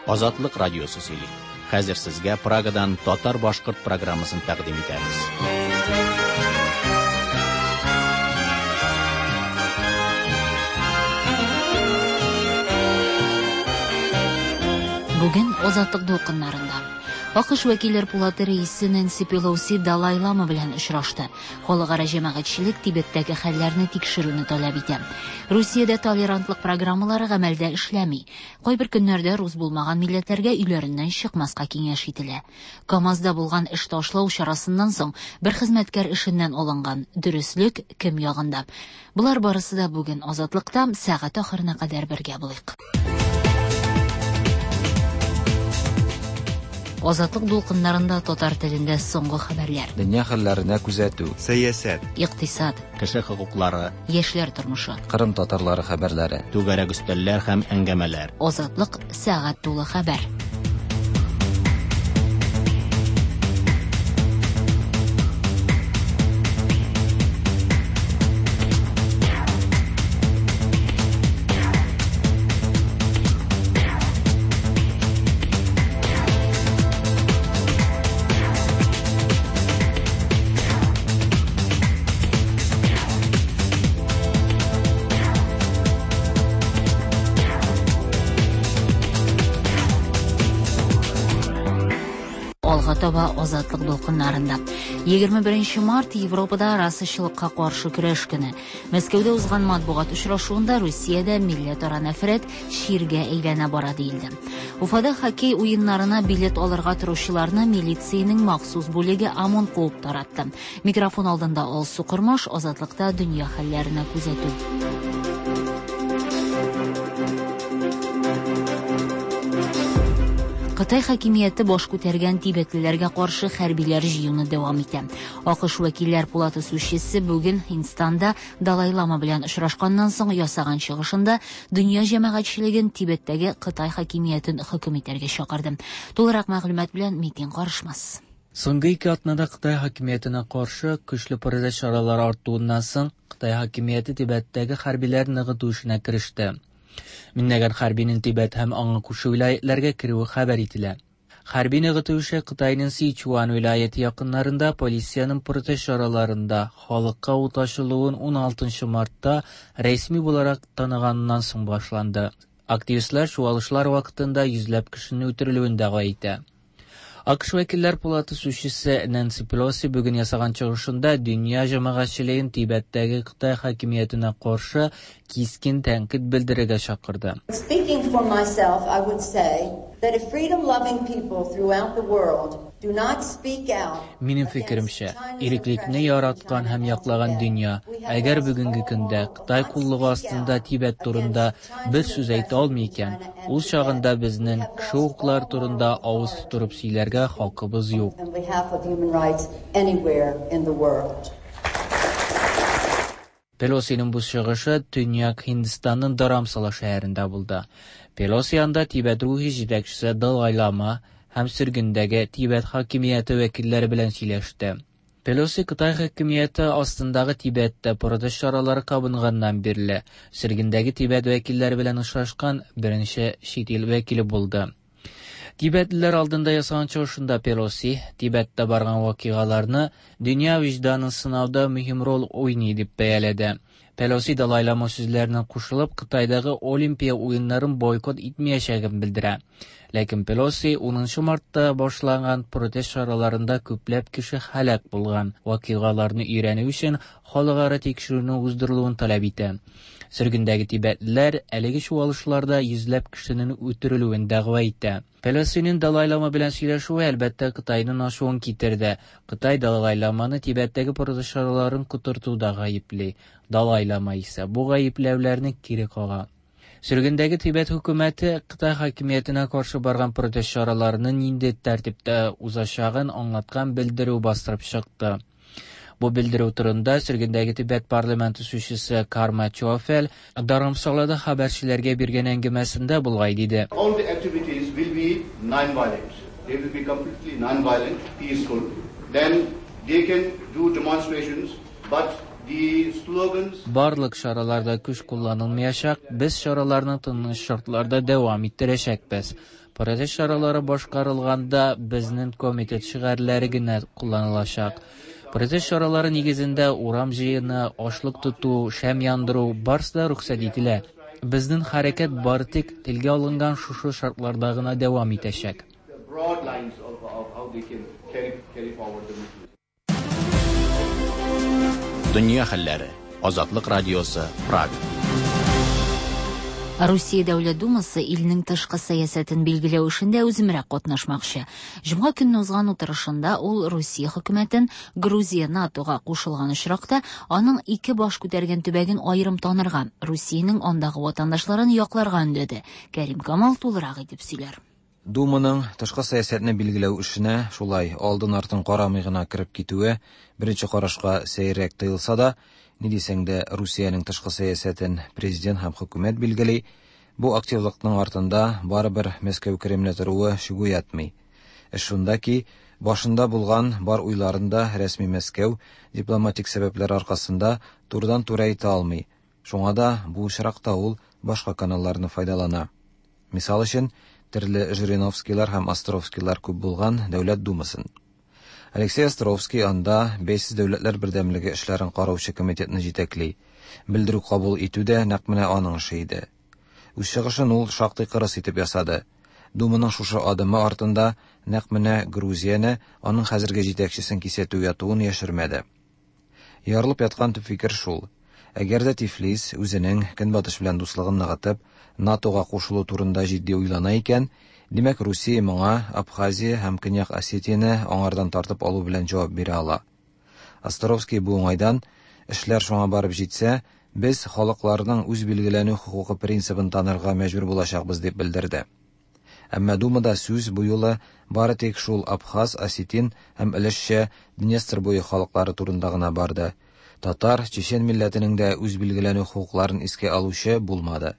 Азатлык радиосы сөйли. Хәзер сезгә Прагадан татар-башкорт программасын тәкъдим итәбез. Бүген Азатлык дулкыннарында АКШ вәкилләр пулаты рәисе Нэнси Пелоси Далай Лама белән очрашты. Халыкара җәмәгатьчелек Тибеттәге хәлләрне тикшерүне таләп итә. Русиядә толерантлык программалары гамәлдә эшләми. Кайбер көннәрдә рус булмаган милләтләргә өйләреннән чыкмаска киңәш ителә. КАМАЗда булган эш ташлау чарасыннан соң бер хезмәткәр эшеннән алынган. Дөреслек кем ягында? Болар барысы да бүген Азатлыкта сәгать ахырына кадәр бергә булыйк. Азатлык дулкыннарында татар телендә соңгы хәбәрләр. Дөнья хәлләренә күзәтү. Сәясәт. Икътисад. Кеше хокуклары. Яшьләр тормышы. Кырым татарлары хәбәрләре. Түгәрәк өстәлләр һәм әңгәмәләр. Азатлык сәгать тулы хәбәр. Алга таба Азатлык дулкыннарында. 21 март Европада расачылыкка каршы көрәш көне. Мәскәүдә узган матбугат очрашуында Русиядә милләтара нәфрәт чиргә әйләнә бара диелде. Уфада хоккей уеннарына билет алырга торучыларны милициянең махсус бүлеге ОМОН куып таратты. Микрофон алдында Алсу Кормаш, Азатлыкта дөнья хәлләренә күзәтү. Кытай хакимияте баш күтәргән тибетлеләргә каршы хәрбиләр җыюны дәвам итә. АКШ вәкилләр пулаты сүзчесе бүген Һиндстанда Далай Лама белән очрашканнан соң ясаган чыгышында дөнья җәмәгатьчелеген Тибеттәге Кытай хакимиятен хөкем итәргә чакырды. Тулырак мәгълүмат белән Митин Карышмас. Соңгы ике атнада Кытай хакимиятенә каршы көчле протест чаралары артуыннан соң Кытай хакимияте Тибеттәге хәрбиләр ныгыту эшенә кереште. Меңләгән хәрбинең Тибет һәм аңа күрше вилаyeтләргә керүе хәбәр ителә. Хәрби ныгыту эше Кытайның Сичуан вилаяте якыннарында полициянең протест чараларында халыкка ут ачылуын 16 мартта рәсми буларак таныганнан соң башланды. Активистлар чуалышлар вакытында йөзләп кешенең үтерелүен дәгъва итә. АКШ вәкилләр пулаты сүзчесе Нэнси Пелоси бүген ясаган чыгышында дөнья җәмәгатьчелеген Тибеттәге Кытай хакимиятенә каршы кискен тәнкыйть белдерергә чакырды. Speaking for myself, I would say that if freedom-loving people throughout the world do not speak out Минем фикеремчә, иреклекне яраткан һәм яклаган дөнья, әгәр бүгенге көндә Кытай куллыгы астында Тибет турында бер сүз әйтә алмый икән, ул чагында безнең кеше хокуклары турында авыз тутырып сөйләргә хакыбыз юк. on behalf of human rights anywhere in the world. Пелосиның бу чыгышы Төньяк Һиндстанның Dharamsala шәһәрендә булды. Пелоси анда Тибет рухи җитәкчесе Далай Лама һәм сөргендәге Тибет хакимияте вәкилләре белән сөйләште. Пелоси Кытай хакимияте астындагы Тибеттә протест чаралары кабынганнан бирле сөргендәге Тибет вәкилләре белән очрашкан беренче чит ил вәкиле булды. Тибетлеләр алдында ясаган чыгышында Пелоси Тибеттә барган вакыйгаларны дөнья вөҗданын сынауда мөһим роль уйный дип бәяләде. Пелоси Далай Лама сүзләренә кушылып, Кытайдагы Олимпия уеннарын бойкот итмәячәген белдерә. Ләкин Пелоси 10 мартта башланган протест чараларында күпләп кеше һәлак булган вакыйгаларны өйрәнү өчен халыкара тикшерүне уздырылуын таләп итә. Сөргендәге тибетлеләр әлеге чуалышларда йөзләп кешенең үтерелүен дәгъва итә. Пелосиның Далай Лама белән сөйләшүе әлбәттә Кытайның ачуын китерде. Кытай Далай Ламаны Тибеттәге протест чараларын котыртуда гаепли. Далай Лама исә бу гаепләүләрне кире кага. Сөргендәге Тибет хөкүмәте Кытай хакимиятенә каршы барган протест чараларының нинди тәртиптә узачагын аңлаткан белдерү бастырып чыкты. Бу белдерү турында сөргендәге Тибет парламенты сүзчесе Карма Чофел Dharamsalada хәбәрчеләргә биргән әңгәмәсендә болай диде. All the activities will be non-violent. They will be completely non-violent, peaceful. Then they can do demonstrations, but the slogans Барлык чараларда көч кулланылмаячак, без чараларны тыныч шартларда дәвам иттерәчәкбез. Протест чаралары башкарылганда безнең комитет шигарьләре генә кулланылачак. Протест чаралары нигезендә урам җыены, ачлык тоту, шәм яндыру барысы да рөхсәт ителә. Безнең хәрәкәт бары тик телгә алынган шушы шартларда гына дәвам итәчәк. The broad lines of how they can carry forward the movement. Дөнья хәлләре. Азатлык радиосы, Прага. Русия Дәүләт Думасы илнең тышкы сәясәтен билгеләү эшендә үземрәк катнашмакчы. Җомга көнне узган утырышында ул Русия хөкүмәтен Грузия НАТОга кушылган очракта аның ике баш күтәргән төбәген аерым танырга, Русиянең андагы ватандашларын якларга өндәде. Кәрим Камал тулырак итеп сөйләр. Думаның тышкы сәясәтне билгеләү эшенә шулай алдын-артын карамый гына кереп китүе беренче карашка сәеррәк тоелса да, ни дисәң дә, Русиянең тышкы сәясәтен президент һәм хөкүмәт билгели, бу активлыкның артында барыбер Мәскәү Кремле торуы шик уятмый. Эш шунда ки, башында булган бар уйларын да рәсми Мәскәү дипломатик сәбәпләр аркасында турыдан-туры әйтә алмый. Шуңа да бу очракта ул башка каналларны файдалана. Мисал өчен, төрле Жириновскийлар һәм Островскийлар күп булган Дәүләт Думасын. Алексей Островский анда Бәйсез дәүләтләр бердәмлеге эшләрен караучы комитетны җитәкли. Белдерү кабул итү дә нәкъ менә аның эше иде. Үз чыгышын ул шактый кырыс итеп ясады. Думаның шушы адымы артында нәкъ менә Грузияне, аның хәзерге җитәкчесен кисәтү ятуын яшермәде. Ярылып яткан төп фикер шул: әгәр дә Тифлис үзенең Көнбатыш белән дуслыгын ныгытып, НАТОга кушылу турында җитди уйлана икән, димәк, Русия моңа Абхазия һәм Көньяк Осетияне аңардан тартып алу белән җавап бирә ала. Островский бу уңайдан, эшләр шуңа барып җитсә, без халыкларның үз билгеләнү хокукы принцибын танырга мәҗбүр булачакбыз дип белдерде. Әмма Думада сүз бу юлы бары тик шул абхаз, осетин һәм өлешчә Днестр буе халыклары турында гына барды. Татар, чечен милләтенең дә үз билгеләнү хокукларын искә алучы булмады.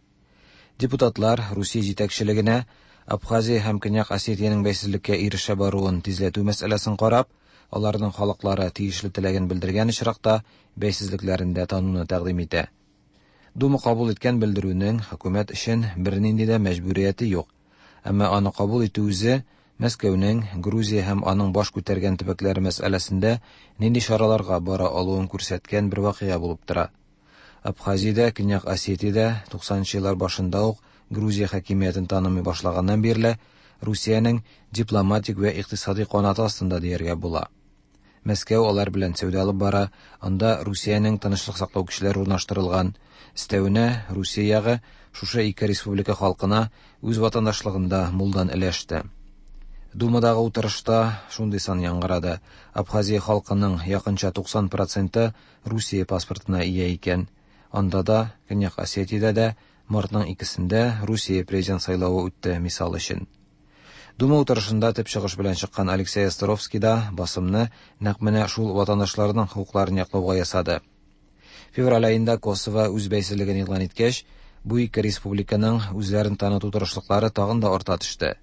Депутатлар Русия җитәкчелегенә Абхазия һәм Көньяк Осетиянең бәйсезлеккә ирешә баруын тизләтү мәсьәләсен карап, аларның халыклары тиешле теләген белдергән очракта бәйсезлекләрен дә тануны тәкъдим итә. Дума кабул иткән белдерүнең хөкүмәт өчен бернинди дә мәҗбүрияте юк. Әмма аны кабул итү үзе Мәскәүнең Грузия һәм аның баш күтәргән төбәкләре мәсьәләсендә нинди чараларга бара алуын күрсәткән бер вакыйга булып тора. Абхазиядә, Көньяк Осетиядә 90 еллар башында ук Грузия хакимиятен танымый башлаганнан бирле Русиянең дипломатик вә икътисади канаты астында дияргә була. Мәскәү алар белән сәүдә алып бара, анда Русиянең тынычлык саклау көчләре урнаштырылган. Өстәвенә, Русия ягы шушы ике республика халкына үз ватандашлыгында мулдан өләште. Думадагы утырышта шундый сан яңгырады. Абхазия халкының якынча 90 проценты Русия паспортына ия икән. Анда да, Көньяк Осетиядә дә мартның икесендә Русия президент сайлавы үтте, мисал өчен. Дума утырышында төп чыгыш белән чыккан Алексей Островский да басымны нәкъ менә шул ватандашларның хокукларын яклауга ясады. Февраль аенда Косово үз бәйсезлеген игълан иткәч, бу ике республиканың үзләрен таныту тырышлыклары тагын да арта төште.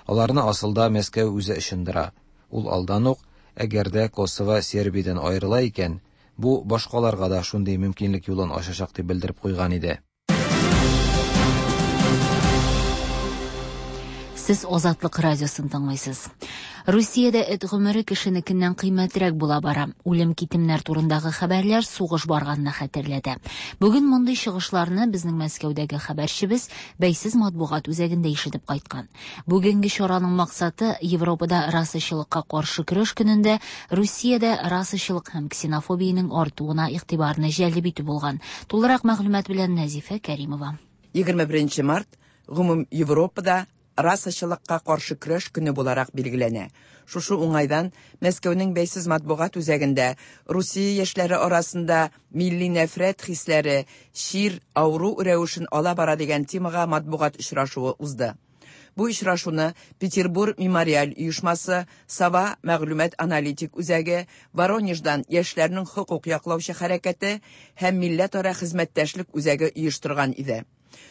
Аларны асылда Мәскәү үзе ычындыра. Ул алдан ук, әгәр дә Косово Сербиядән аерыла икән, бу башкаларга да шундый мөмкинлек юлын ачачак дип белдереп куйган иде. Сез Азатлык радиосын тыңлыйсыз. Русиядә эт гомере кешенекеннән кыйммәтрәк була бара. Үлем-китемнәр турындагы хәбәрләр сугыш барганны хәтерләтә. Бүген мондый чыгышларны безнең Мәскәүдәге хәбәрчебез бәйсез матбугат үзәгендә ишетеп кайткан. Бүгенге чараның максаты Европада расачылыкка каршы көрәш көнендә Русиядә расачылык һәм ксенофобиянең артуына игътибарны җәлеп итү булган. Тулырак мәгълүмат белән Нәзифә Кәримова. 21 март гомум Европада расачылыкка каршы көрәш көне буларак билгеләнә. Шушы уңайдан Мәскәүнең бәйсез матбугат үзәгендә Русия яшьләре арасында милли нәфрәт хисләре чир, авыру рәвешен ала бара дигән темага матбугат очрашуы узды. Бу очрашуны Петербург мемориаль оешмасы, Сова мәгълүмат аналитик үзәге, Воронеждан яшьләрнең хокук яклаучы хәрәкәте һәм милләтара хезмәттәшлек үзәге оештырган иде.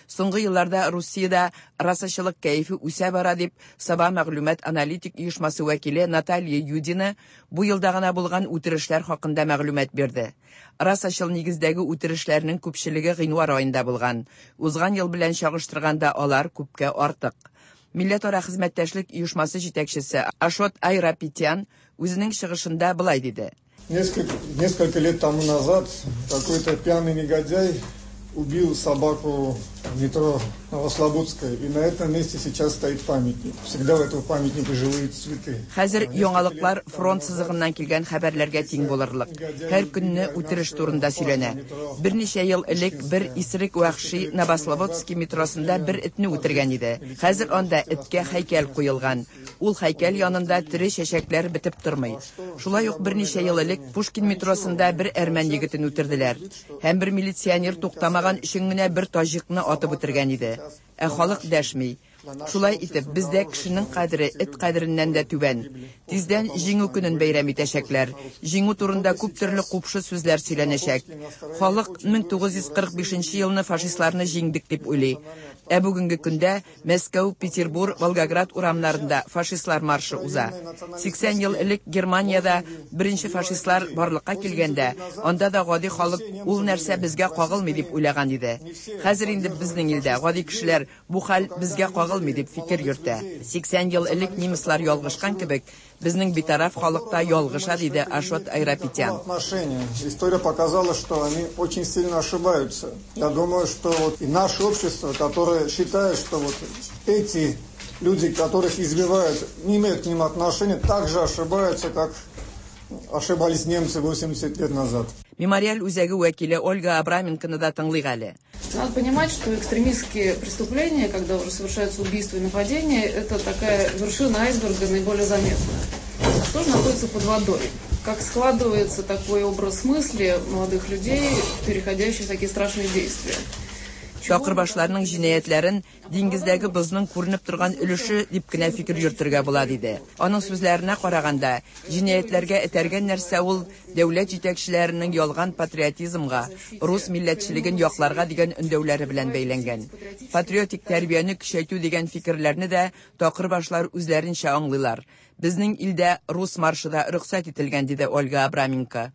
Соңгы елларда Русиядә расачылык кәефе үсә бара дип Сова мәгълүмат аналитик оешмасы вәкиле Наталья Юдина бу елда гына булган үтерешләр хакында мәгълүмат бирде. Расачыл нигездәге үтерешләрнең күпчелеге гыйнвар аенда булган. Узган ел белән чагыштырганда алар күпкә артык. Милләтара хезмәттәшлек оешмасы җитәкчесе Ашот Айрапетян үзенең чыгышында болай диде. Несколько лет тому назад какой-то пьяный негодяй убил собаку в метро Новослободская. И на этом месте сейчас стоит памятник. Всегда у этого памятника живые цветы. Хәзер яңалыклар фронт сызыгыннан килгән хәбәрләргә тиң булырлык. Һәр көнне үтереш турында сөйләнә. Берничә ел элек бер исерек вәхши Новослободский метросында бер этне үтергән иде. Хәзер анда эткә һәйкәл куелган. Ул һәйкәл янында тере чәчәкләр бетеп тормый. Шулай ук берничә ел элек Пушкин метросында бер әрмән егетен үтерделәр. Һәм бер милиционер туктамаган өчен генә бер таҗикны атып үтергән иде. Ә халык дәшми. Шулай итеп, бездә кешенең кадере эт кадереннән дә түбән. Тиздән Җиңү көнен бәйрәм итәчәкләр. Җиңү турында күп төрле купшы сүзләр сөйләнәчәк. Халык 1945 елны фашистларны җиңдек дип уйлый. Ә бүгенге көндә Мәскәү, Петербур, Волгоград урамнарында фашистлар маршы уза. 80 ел элек Германиядә беренче фашистлар барлыкка килгәндә, анда да гади халык ул нәрсә безгә кагылмый дип уйлаган иде. Хәзер инде безнең илдә гади кешеләр бу хәл безгә кагылмый дип фикер йөртә. 80 ел элек немецлар ялгышкан кебек, безнең битараф халык та ялгыша, диде Ашот Айрапетян. История показала, что они очень сильно ошибаются. Я думаю, что вот и наше общество, которое считает, что вот эти люди, которых избивают, не имеют к ним отношения, также ошибаются, как ошибались немцы 80 лет назад. Мемориаль үзәге вәкиле Ольга Абраменконы да тыңлыйк әле. Надо понимать, что экстремистские преступления, когда уже совершаются убийства и нападения, это такая вершина айсберга наиболее заметная. А что же находится под водой? Как складывается такой образ мысли молодых людей, переходящий в такие страшные действия? Такырбашларның җинаятьләрен диңгездәге бозның күренеп торган өлеше дип кенә фикер йөртергә була, диде. Аның сүзләренә караганда, җинаятьләргә этәргән нәрсә ул дәүләт җитәкчеләренең ялган патриотизмга, рус милләтчелеген якларга дигән өндәүләре белән бәйләнгән. Патриотик тәрбияне көчәйтү дигән фикерләрне дә такырбашлар үзләренчә аңлыйлар. Безнең илдә рус маршы да рөхсәт ителгән, диде Ольга Абраменко.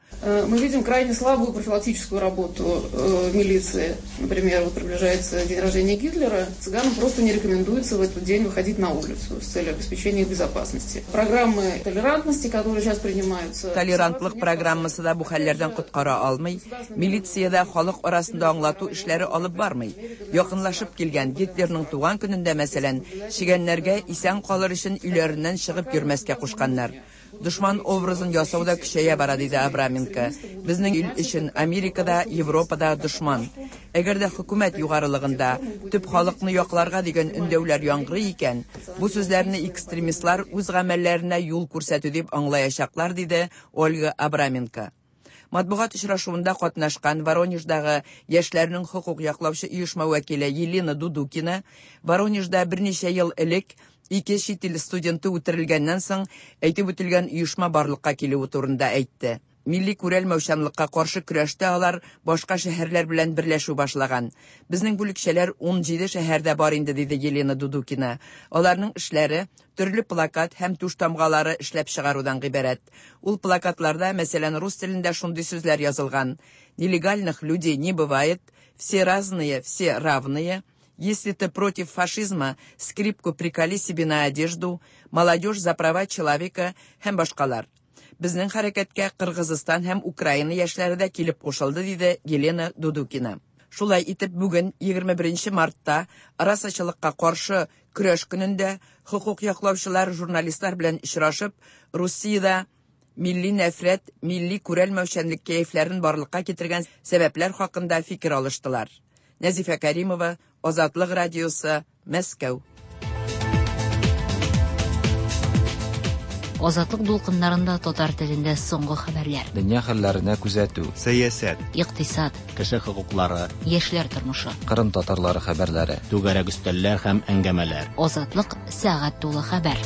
Мы видим крайне слабую профилактическую работу милиции. Например, вот приближается день рождения Гитлера, цыганам просто не рекомендуется в этот день выходить на улицу с целью обеспечения их безопасности. Программы толерантности, которые сейчас принимаются... Толерантлык программасы да бу хәлләрдән коткара алмый. Милиция дә халык арасында аңлату эшләре алып бармый. Якынлашып килгән Гитлерның туган көнендә, мәсәлән, чегәннәргә исән калыр өчен өйләреннән чыгып йөрмәскә кушканнар. Дошман образын ясау да көчәя бара, диде Абраменко. Безнең ил өчен Америкада, Европада дошман. Әгәр дә хөкүмәт югарылыгында төп халыкны якларга дигән өндәүләр яңгырый икән, бу сүзләрне экстремистлар үз гамәлләренә юл күрсәтү дип аңлаячаклар, диде Ольга Абраменко. Матбугат очрашуында катнашкан Воронеждагы яшьләрнең хокук яклаучы оешма вәкиле Елена Дудукина Воронежда берничә ел элек ике чит ил студенты үтерелгәннән соң әйтеп үтелгән оешма барлыкка килүе турында әйтте. Милли күрәлмәүчәнлеккә каршы көрәштә алар башка шәһәрләр белән берләшү башлаган. Безнең бүлекчәләр 17 шәһәрдә бар инде, диде Елена Дудукина. Аларның эшләре төрле плакат һәм туш тамгалары эшләп чыгарудан гыйбарәт. Ул плакатларда, мәсәлән, рус телендә шундый сүзләр язылган: Нелегальных людей не бывает, все разные, все равные. Если ты против фашизма, скрипку приколи себе на одежду, молодежь за права человека һәм башкалар. Безнең хәрәкәткә Кыргызстан һәм Украина яшьләре дә килеп кушылды, диде Елена Дудукина. Шулай итеп, бүген 21 мартта расачылыкка каршы көрәш көнендә хокук яклаучылар журналистлар белән очрашып, Русиядә милли нәфрәт, милли күрәлмәүчәнлек кәефләрен барлыкка китергән сәбәпләр хакында фикер алыштылар. Нәзифә Каримова, Азатлык радиосы, Мәскәү. Азатлык дулкыннарында татар телендә соңгы хәбәрләр. Дөнья хәлләренә күзәтү. Сәясәт. Икътисад. Кеше хокуклары. Яшьләр тормышы. Кырым татарлары хәбәрләре. Түгәрәк өстәлләр һәм әңгәмәләр. Азатлык сәгать тулы хәбәр.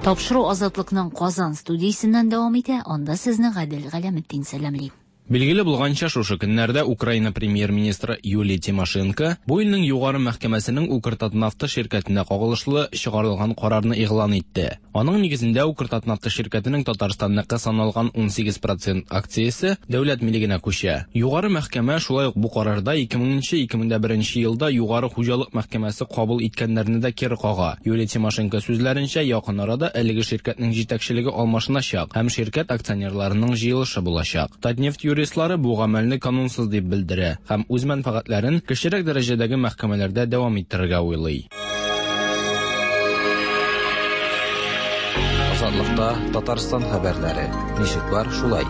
Тапшыру Азатлыкның Казан студиясеннән дәвам итә. Анда сезне Гадел Галәметдин сәламли. Билгеле булганча, шушы көннәрдә Украина премьер-министры Юлия Тимошенко бу илнең югары мәхкәмәсенең Укртатнафта ширкәтенә кагылышлы чыгарылган карарны игълан итте. Аның нигезендә Укртатнафта ширкәтенең Татарстанныкы саналган 18 процент акциясе дәүләт милегенә күчә. Югары мәхкәмә шулай ук бу карарда 2000-2001 елда Югары хуҗалык мәхкәмәсе кабул иткәннәрне дә кире кага. Юлия Тимошенко сүзләренчә, якын арада әлеге ширкәтнең җитәкчелеге алмашыначак һәм ширкәт акционерларының җыелышы булачак. Татнефть юристлары бу гамәлне канунсыз дип белдерә һәм үз мәнфәгатьләрен кечерәк дәрәҗәдәге мәхкәмәләрдә дәвам иттерергә уйлый. Азатлыкта Татарстан хәбәрләре. Ничек бар, шулай.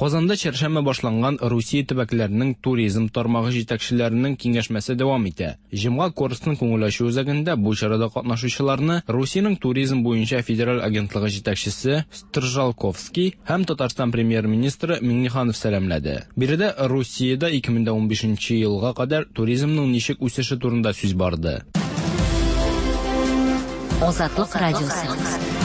Казанда чәршәмбе башланган Русия төбәкләренең туризм тармагы җитәкчеләренең киңәшмәсе дәвам итә. Җомга Корстон күңел ачу үзәгендә бу чарада катнашучыларны Русиянең туризм буенча федераль агентлыгы җитәкчесе Стржалковский һәм Татарстан премьер-министры Миңнеханов сәламләде. Биредә Русиядә 2015 елга кадәр туризмның ничек үсеше турында сүз барды. Азатлык радиосы.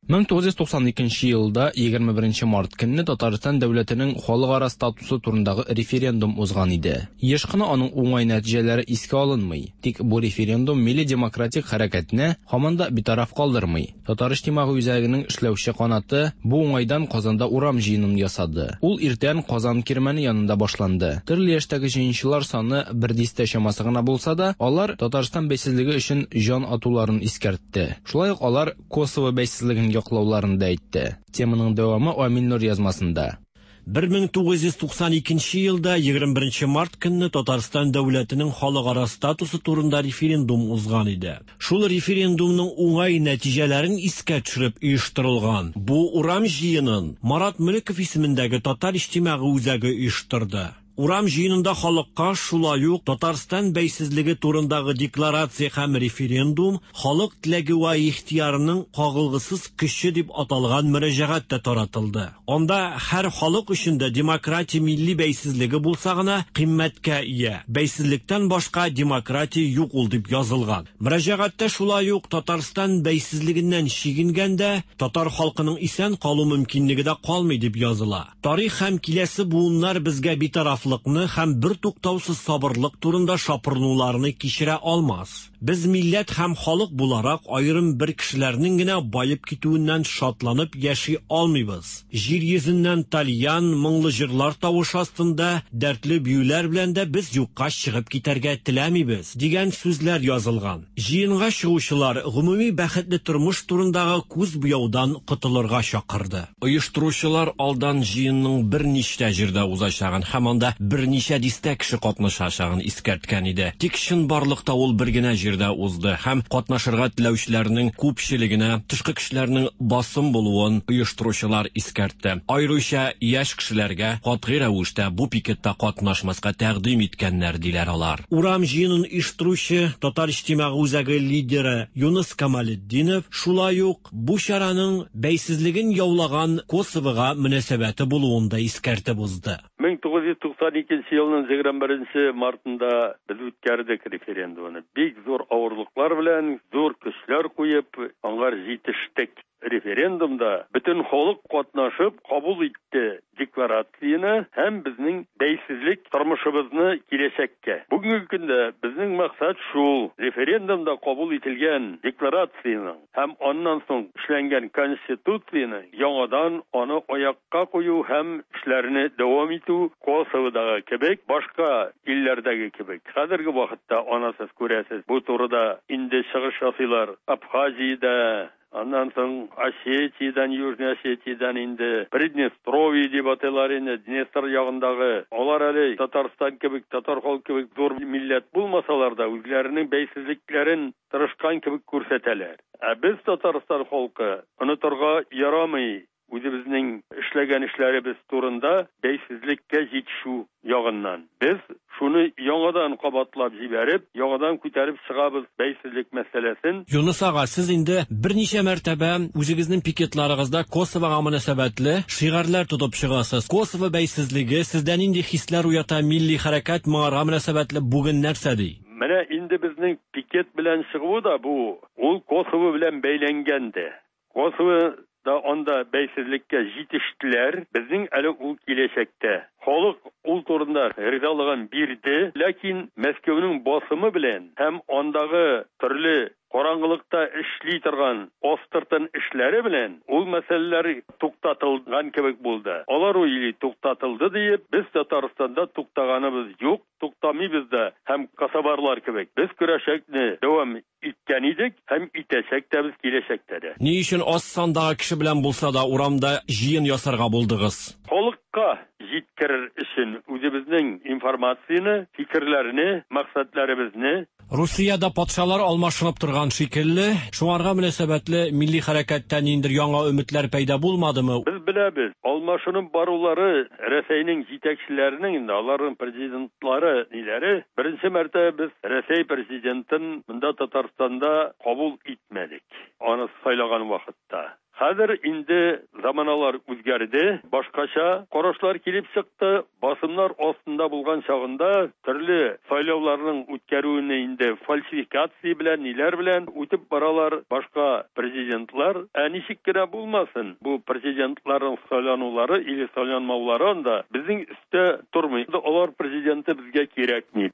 1992 елда 21 март көнне Татарстан дәүләтенең халыкара статусы турындагы референдум узган иде. Еш кына аның уңай нәтиҗәләре искә алынмый. Тик бу референдум милли демократик хәрәкәтне һаман да битараф калдырмый. Татар иҗтимагый үзәгенең эшләүче канаты бу уңайдан Казанда урам җыенын ясады. Ул иртән Казан кирмәне янында башланды. Төрле яшьтәге җыенчылар саны бер дистә чамасы гына булса да, алар Татарстан бәйсезлеге өчен җан атуларын искәртте. Шулай ук алар Косово бәйсезлеген яклауларын да әйтте. Теманың дәвамы Амил Нур язмасында. 1992 елда 21 март көнне Татарстан дәүләтенең халыкара статусы турында референдум узган иде. Шул референдумның уңай нәтиҗәләрен искә төшереп оештырылган бу урам җыенын Марат Мөлеков исемендәге Татар иҗтимагый үзәге оештырды. Урам җыенында халыкка шулай ук Татарстан бәйсезлеге турындагы декларация һәм референдум халык теләге вә ихтыярының кагылгысыз көче дип аталган мөрәҗәгать тә таратылды. Анда һәр халык өчен дә демократия милли бәйсезлеге булса гына кыйммәткә ия. Бәйсезлектән башка демократия юк ул дип язылган. Мөрәҗәгатьтә шулай ук Татарстан бәйсезлегеннән чигенгәндә татар халкының исән калу мөмкинлеге дә калмый дип языла. Тарих һәм киләсе буыннар безгә битарафлыкны һәм бертуктаусыз сабырлык турында шапырынуларны кичерә алмас. Без милләт һәм халык буларак аерым бер кешеләрнең генә баеп китүеннән шатланып яши алмыйбыз. Җир йөзеннән тальян, моңлы җырлар тавышы астында дәртле биюләр белән дә без юкка чыгып китәргә теләмибез, дигән сүзләр язылган. Җыенга чыгучылар гомуми бәхетле тормыш турындагы күз буяудан котылырга чакырды. Оештыручылар алдан җыенның берничә җирдә узачагын һәм анда берничә дистә кеше катнашачагын искәрткән иде. Тик чынбарлыкта ул бер генә җирдә узды һәм катнашырга теләүчеләрнең күпчелегенә тышкы кешеләрнең басым булуын оештыручылар искәртте. Аеруча яшь кешеләргә катгый рәвештә бу пикетта катнашмаска тәкъдим иткәннәр, диләр алар. Урам җыенын оештыручы Татар иҗтимагый үзәге лидеры Юныс Камалетдинов шулай ук бу чараның бәйсезлеген яулаган Косовога мөнәсәбәте булуын да искәртеп узды. 1992 елның 21 мартында без үткәрдек референдумны. Бик зур авырлыклар белән, зур көчләр куеп, аңар җитештек. Референдумда бөтен халык катнашып кабул итте декларацияне һәм безнең бәйсезлек тормышыбызны киләчәккә. Бүгенге көндә безнең максат шул: референдумда кабул ителгән декларацияның һәм аннан соң эшләнгән конституцияне яңадан аны аякка кую һәм эшләрне дәвам итү Косоводагы кебек, башка илләрдәге кебек. Хәзерге вакытта аны сез күрәсез, бу турыда инде чыгыш ясыйлар Абхазиядә, аннан соң Осетиядән, Южный Осетиядән инде Приднестровье дип атыйлар инде, Днестр ягындагы. Алар әле Татарстан кебек, татар халкы кебек зур милләт булмасалар да, үзләренең бәйсезлекләрен тырышкан кебек күрсәтәләр. Ә без Татарстан халкы онытырга ярамый үзебезнең эшләгән эшләребез турында бәйсезлеккә җитешү ягыннан. Без шуны яңадан кабатлап җибәреп, яңадан күтәреп чыгабыз бәйсезлек мәсьәләсен. Юныс ага, сез инде берничә мәртәбә үзегезнең пикетларыгызда Косовога мөнәсәбәтле шигарьләр тотып чыгасыз. Косово бәйсезлеге сездә нинди хисләр уята, милли хәрәкәт моңарга мөнәсәбәтле бүген нәрсә ди? Менә инде инде безнең пикет белән чыгуы да бу, ул Косово белән бәйләнгән дә. Косово да анда бәйсезлеккә җитештеләр, безнең әле ул киләчәктә. Халык ул турында ризалыгын бирде, ләкин Мәскәүнең басымы белән һәм андагы төрле караңгылыкта эшли торган астыртын эшләре белән ул мәсьәләләр туктатылган кебек булды. Алар уйлый туктатылды диеп, без Татарстанда туктаганыбыз юк, туктамыйбыз да һәм косоварлар кебек без көрәшәкне дәвам иткән идек һәм итәчәк тә без киләчәктә дә. Ни өчен аз сандагы кеше белән булса да урамда җыен ясарга булдыгыз? Халыкка җиткерер өчен үзебезнең информацияне, фикерләрне, максатларыбызны. Русиядә патшалар алмашынып торган шикелле, шуңарга мөнәсәбәтле милли хәрәкәттә ниндидер яңа өметләр пәйда булмадымы? Без беләбез, алмашынып барулары Рәсәйнең җитәкчеләренең инде, аларның президентлары ниләре, беренче мәртәбә без Рәсәй президентын монда Татарстанда кабул итмәдек, аны сайлаган вакытта. Хәзер инде заманалар үзгәрде, башкача карашлар килеп чыкты. Басымнар астында булган чагында төрле сайлауларның үткәрүне инде фальсификация белән, ниләр белән үтеп баралар башка президентлар. Ә ничек кенә булмасын, бу президентларның сайланулары или сайланмаулары анда безнең өстә тормый. Алар президенты безгә кирәкми.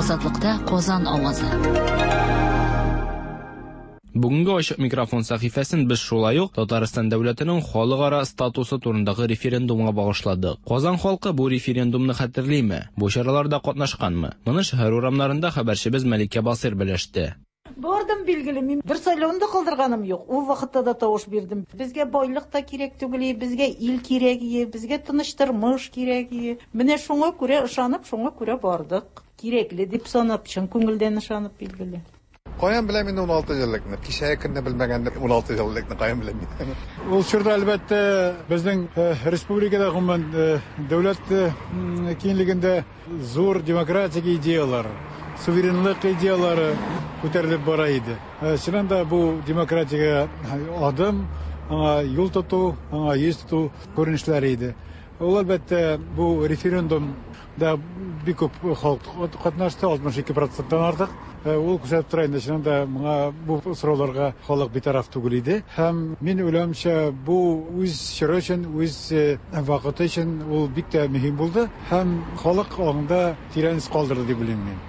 Азатлыкта Казан авазы. Бүгенге ачык микрофон сәхифәсен без шулай ук Татарстан дәүләтенең халыкара статусы турындагы референдумга багышладык. Казан халкы бу референдумны хәтерлиме? Бу чараларда катнашканмы? Моны шәһәр урамнарында хәбәрчебез Мәликә Басыйр белеште. Бардым, билгеле, мин бер сайлауны да калдырганым юк. Ул вакытта да тавыш бирдем. Безгә байлык та кирәк түгел, безгә ил кирәк, безгә тыныч тормыш кирәк. Менә шуңа күрә ышанып, шуңа күрә бардык. Кирәкле дип санап, чын күңелдән ышанып, билгеле. Каян беләм инде 16 еллыкны? Кичәге көнне белмәгәнне 16 еллыкны каян беләм мин? Ул чорда, әлбәттә, безнең республикада, гомумән, дәүләт киңлегендә зур демократик идеялар, суверенлык идеялары күтәрелеп бара иде. Чыннан да бу демократиягә адым, аңа юл тоту, аңа йөз тоту күренешләре иде. Ул, әлбәттә, бу референдум да бик күп халык катнашты, 62%-тан артык. Ул күрсәтеп тора инде, чыннан да моңа бу сорауларга халык битараф түгел иде. Һәм мин уйлавымча, бу үз чоры өчен, үз вакыты өчен ул бик тә мөһим булды һәм халык аңында тирән эз калдырды дип уйлыйм мин.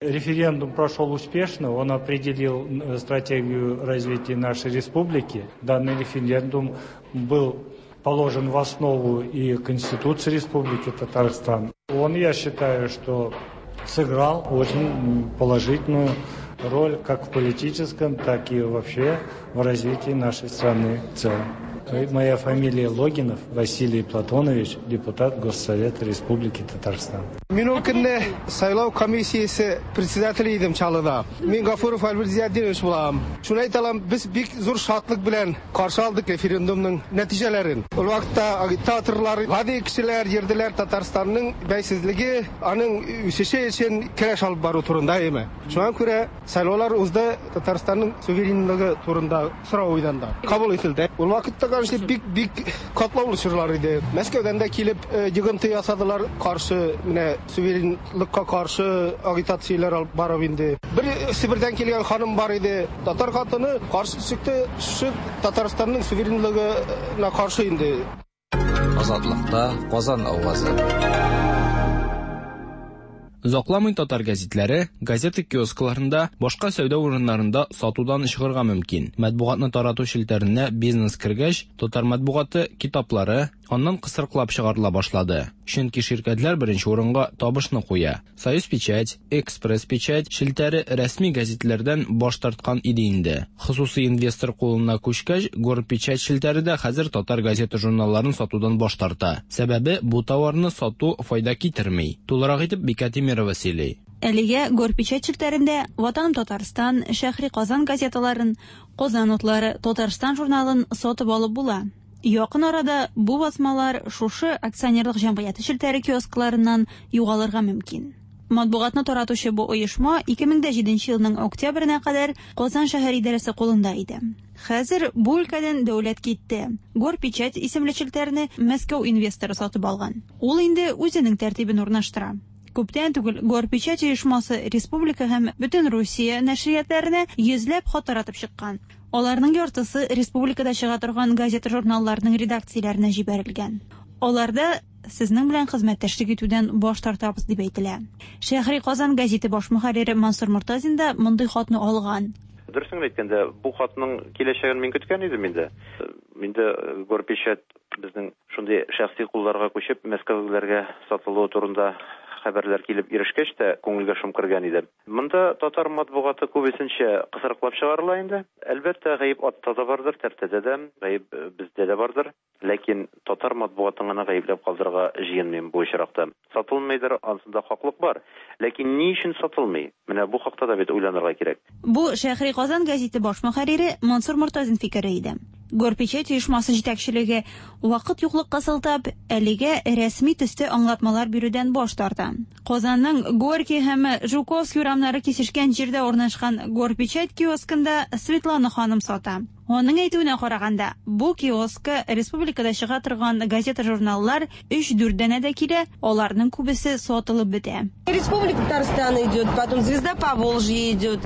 Референдум прошел успешно, он определил стратегию развития нашей республики. Данный референдум был положен в основу и Конституции Республики Татарстан. Он, я считаю, что сыграл очень положительную роль как в политическом, так и вообще в развитии нашей страны в целом. Моя фамилия Логинов Василий Платонович, депутат Госсовета Республики Татарстан. Мин ул көнне сайлау комиссиясе председателе идем Чаллыда. Мин Гафуров Альберт Зиятдинович булам. Шуны әйтә алам, без бик зур шатлык белән каршы алдык референдумның нәтиҗәләрен. Ул вакытта агитаторлар, гади кешеләр йөрделәр Татарстанның бәйсезлеге, аның үсеше өчен көрәш алып бару турында, әйеме? Шуңа күрә сайлаулар узды, Татарстанның суверенлыгы турында сорау уйданда кабул ителде. Ул вакытта, конечно, бик-бик катлаулы чорлар иде. Мәскәүдән дә килеп йогынты ясадылар, каршы, менә суверенлыкка каршы агитацияләр алып барып инде. Бер Себердән килгән ханым бар иде, татар хатыны каршы чыкты, шушы Татарстанның суверенлыгына каршы инде. Азатлыкта Казан авазы. Озакламый татар гәзитләре газета киоскларында, башка сәүдә урыннарында сатудан чыгарга мөмкин. Матбугатны тарату челтәренә бизнес кергәч, татар матбугаты китаплары аннан кысрыклап чыгарыла башлады. Чөнки ширкәтләр беренче урынга табышны куя. Союз печать, Экспресс печать челтәре рәсми гәзитләрдән баш тарткан иде инде. Хосусый инвестор кулына күчкәч, Горпечать челтәре дә хәзер татар газета журналларын сатудан баш тарта. Сәбәбе бу товарны сату файда китерми. Тулырак итеп Бикә Тимирова сөйли. Әлегә Горпечать челтәрендә Ватаным Татарстан, Шәһри Казан газеталарын, Казан утлары, Татарстан журналын сатып алып була. Якын арада бу басмалар шушы акционерлык җәмгыяте челтәре киоскларыннан югалырга мөмкин. Матбугатны таратучы бу оешма 2007 елның октябренә кадәр Казан шәһәр идарәсе кулында иде. Хәзер бу өлкәдән дәүләт китте. Горпечать исемле челтәрне Мәскәү инвесторы сатып алган. Ул инде үзенең тәртибен урнаштыра. Күптән түгел Горпечать оешмасы республика һәм бөтен Русия нәшриятләренә йөзләп хат таратып чыккан. Аларның яртысы республикада чыга торган газета-журналларның редакцияләренә җибәрелгән. Аларда сезнең белән хезмәттәшлек итүдән баш тартабыз дип әйтелә. Шәһри Казан гәзите баш мөхәррире Мансур Мортазин да мондый хатны алган. Дөресен генә әйткәндә, бу хатның киләчәген мин көткән идем инде. Инде Горпечать безнең шундый шәхси кулларга күчеп, мәскәүлеләргә сатылуы турында хәбәрләр килеп ирешкәч тә, күңелгә шом кергән иде. Монда татар матбугаты күбесенчә кысрыклап чыгарыла инде. Әлбәттә, гаеп атта да бардыр, тәртәдә дә, гаеп бездә дә бардыр. Ләкин татар матбугатын гына гаепләп калдырырга җыенмыйм бу очракта. Сатылмыйдыр, ансында хаклык бар. Ләкин ни өчен сатылмый? Менә бу хакта да бит уйланырга кирәк. Бу Шәһри Казан гәзите баш мөхәррире Мансур Мортазин фикере иде. Горпечать оешмасы җитәкчелеге, вакыт юклыкка сылтап, әлегә рәсми төстә аңлатмалар бирүдән баш тарта. Казанның Горький һәм Жуковский урамнары кисешкән җирдә урнашкан Горпечать киоскында Светлана ханым сата. Аның әйтүенә караганда, бу киоскка республикада чыга торган газета-журналлар өч-дүрт данәдә килә, аларның күбесе сатылып бетә. Республика Татарстан идет, потом Звезда Поволжья идет,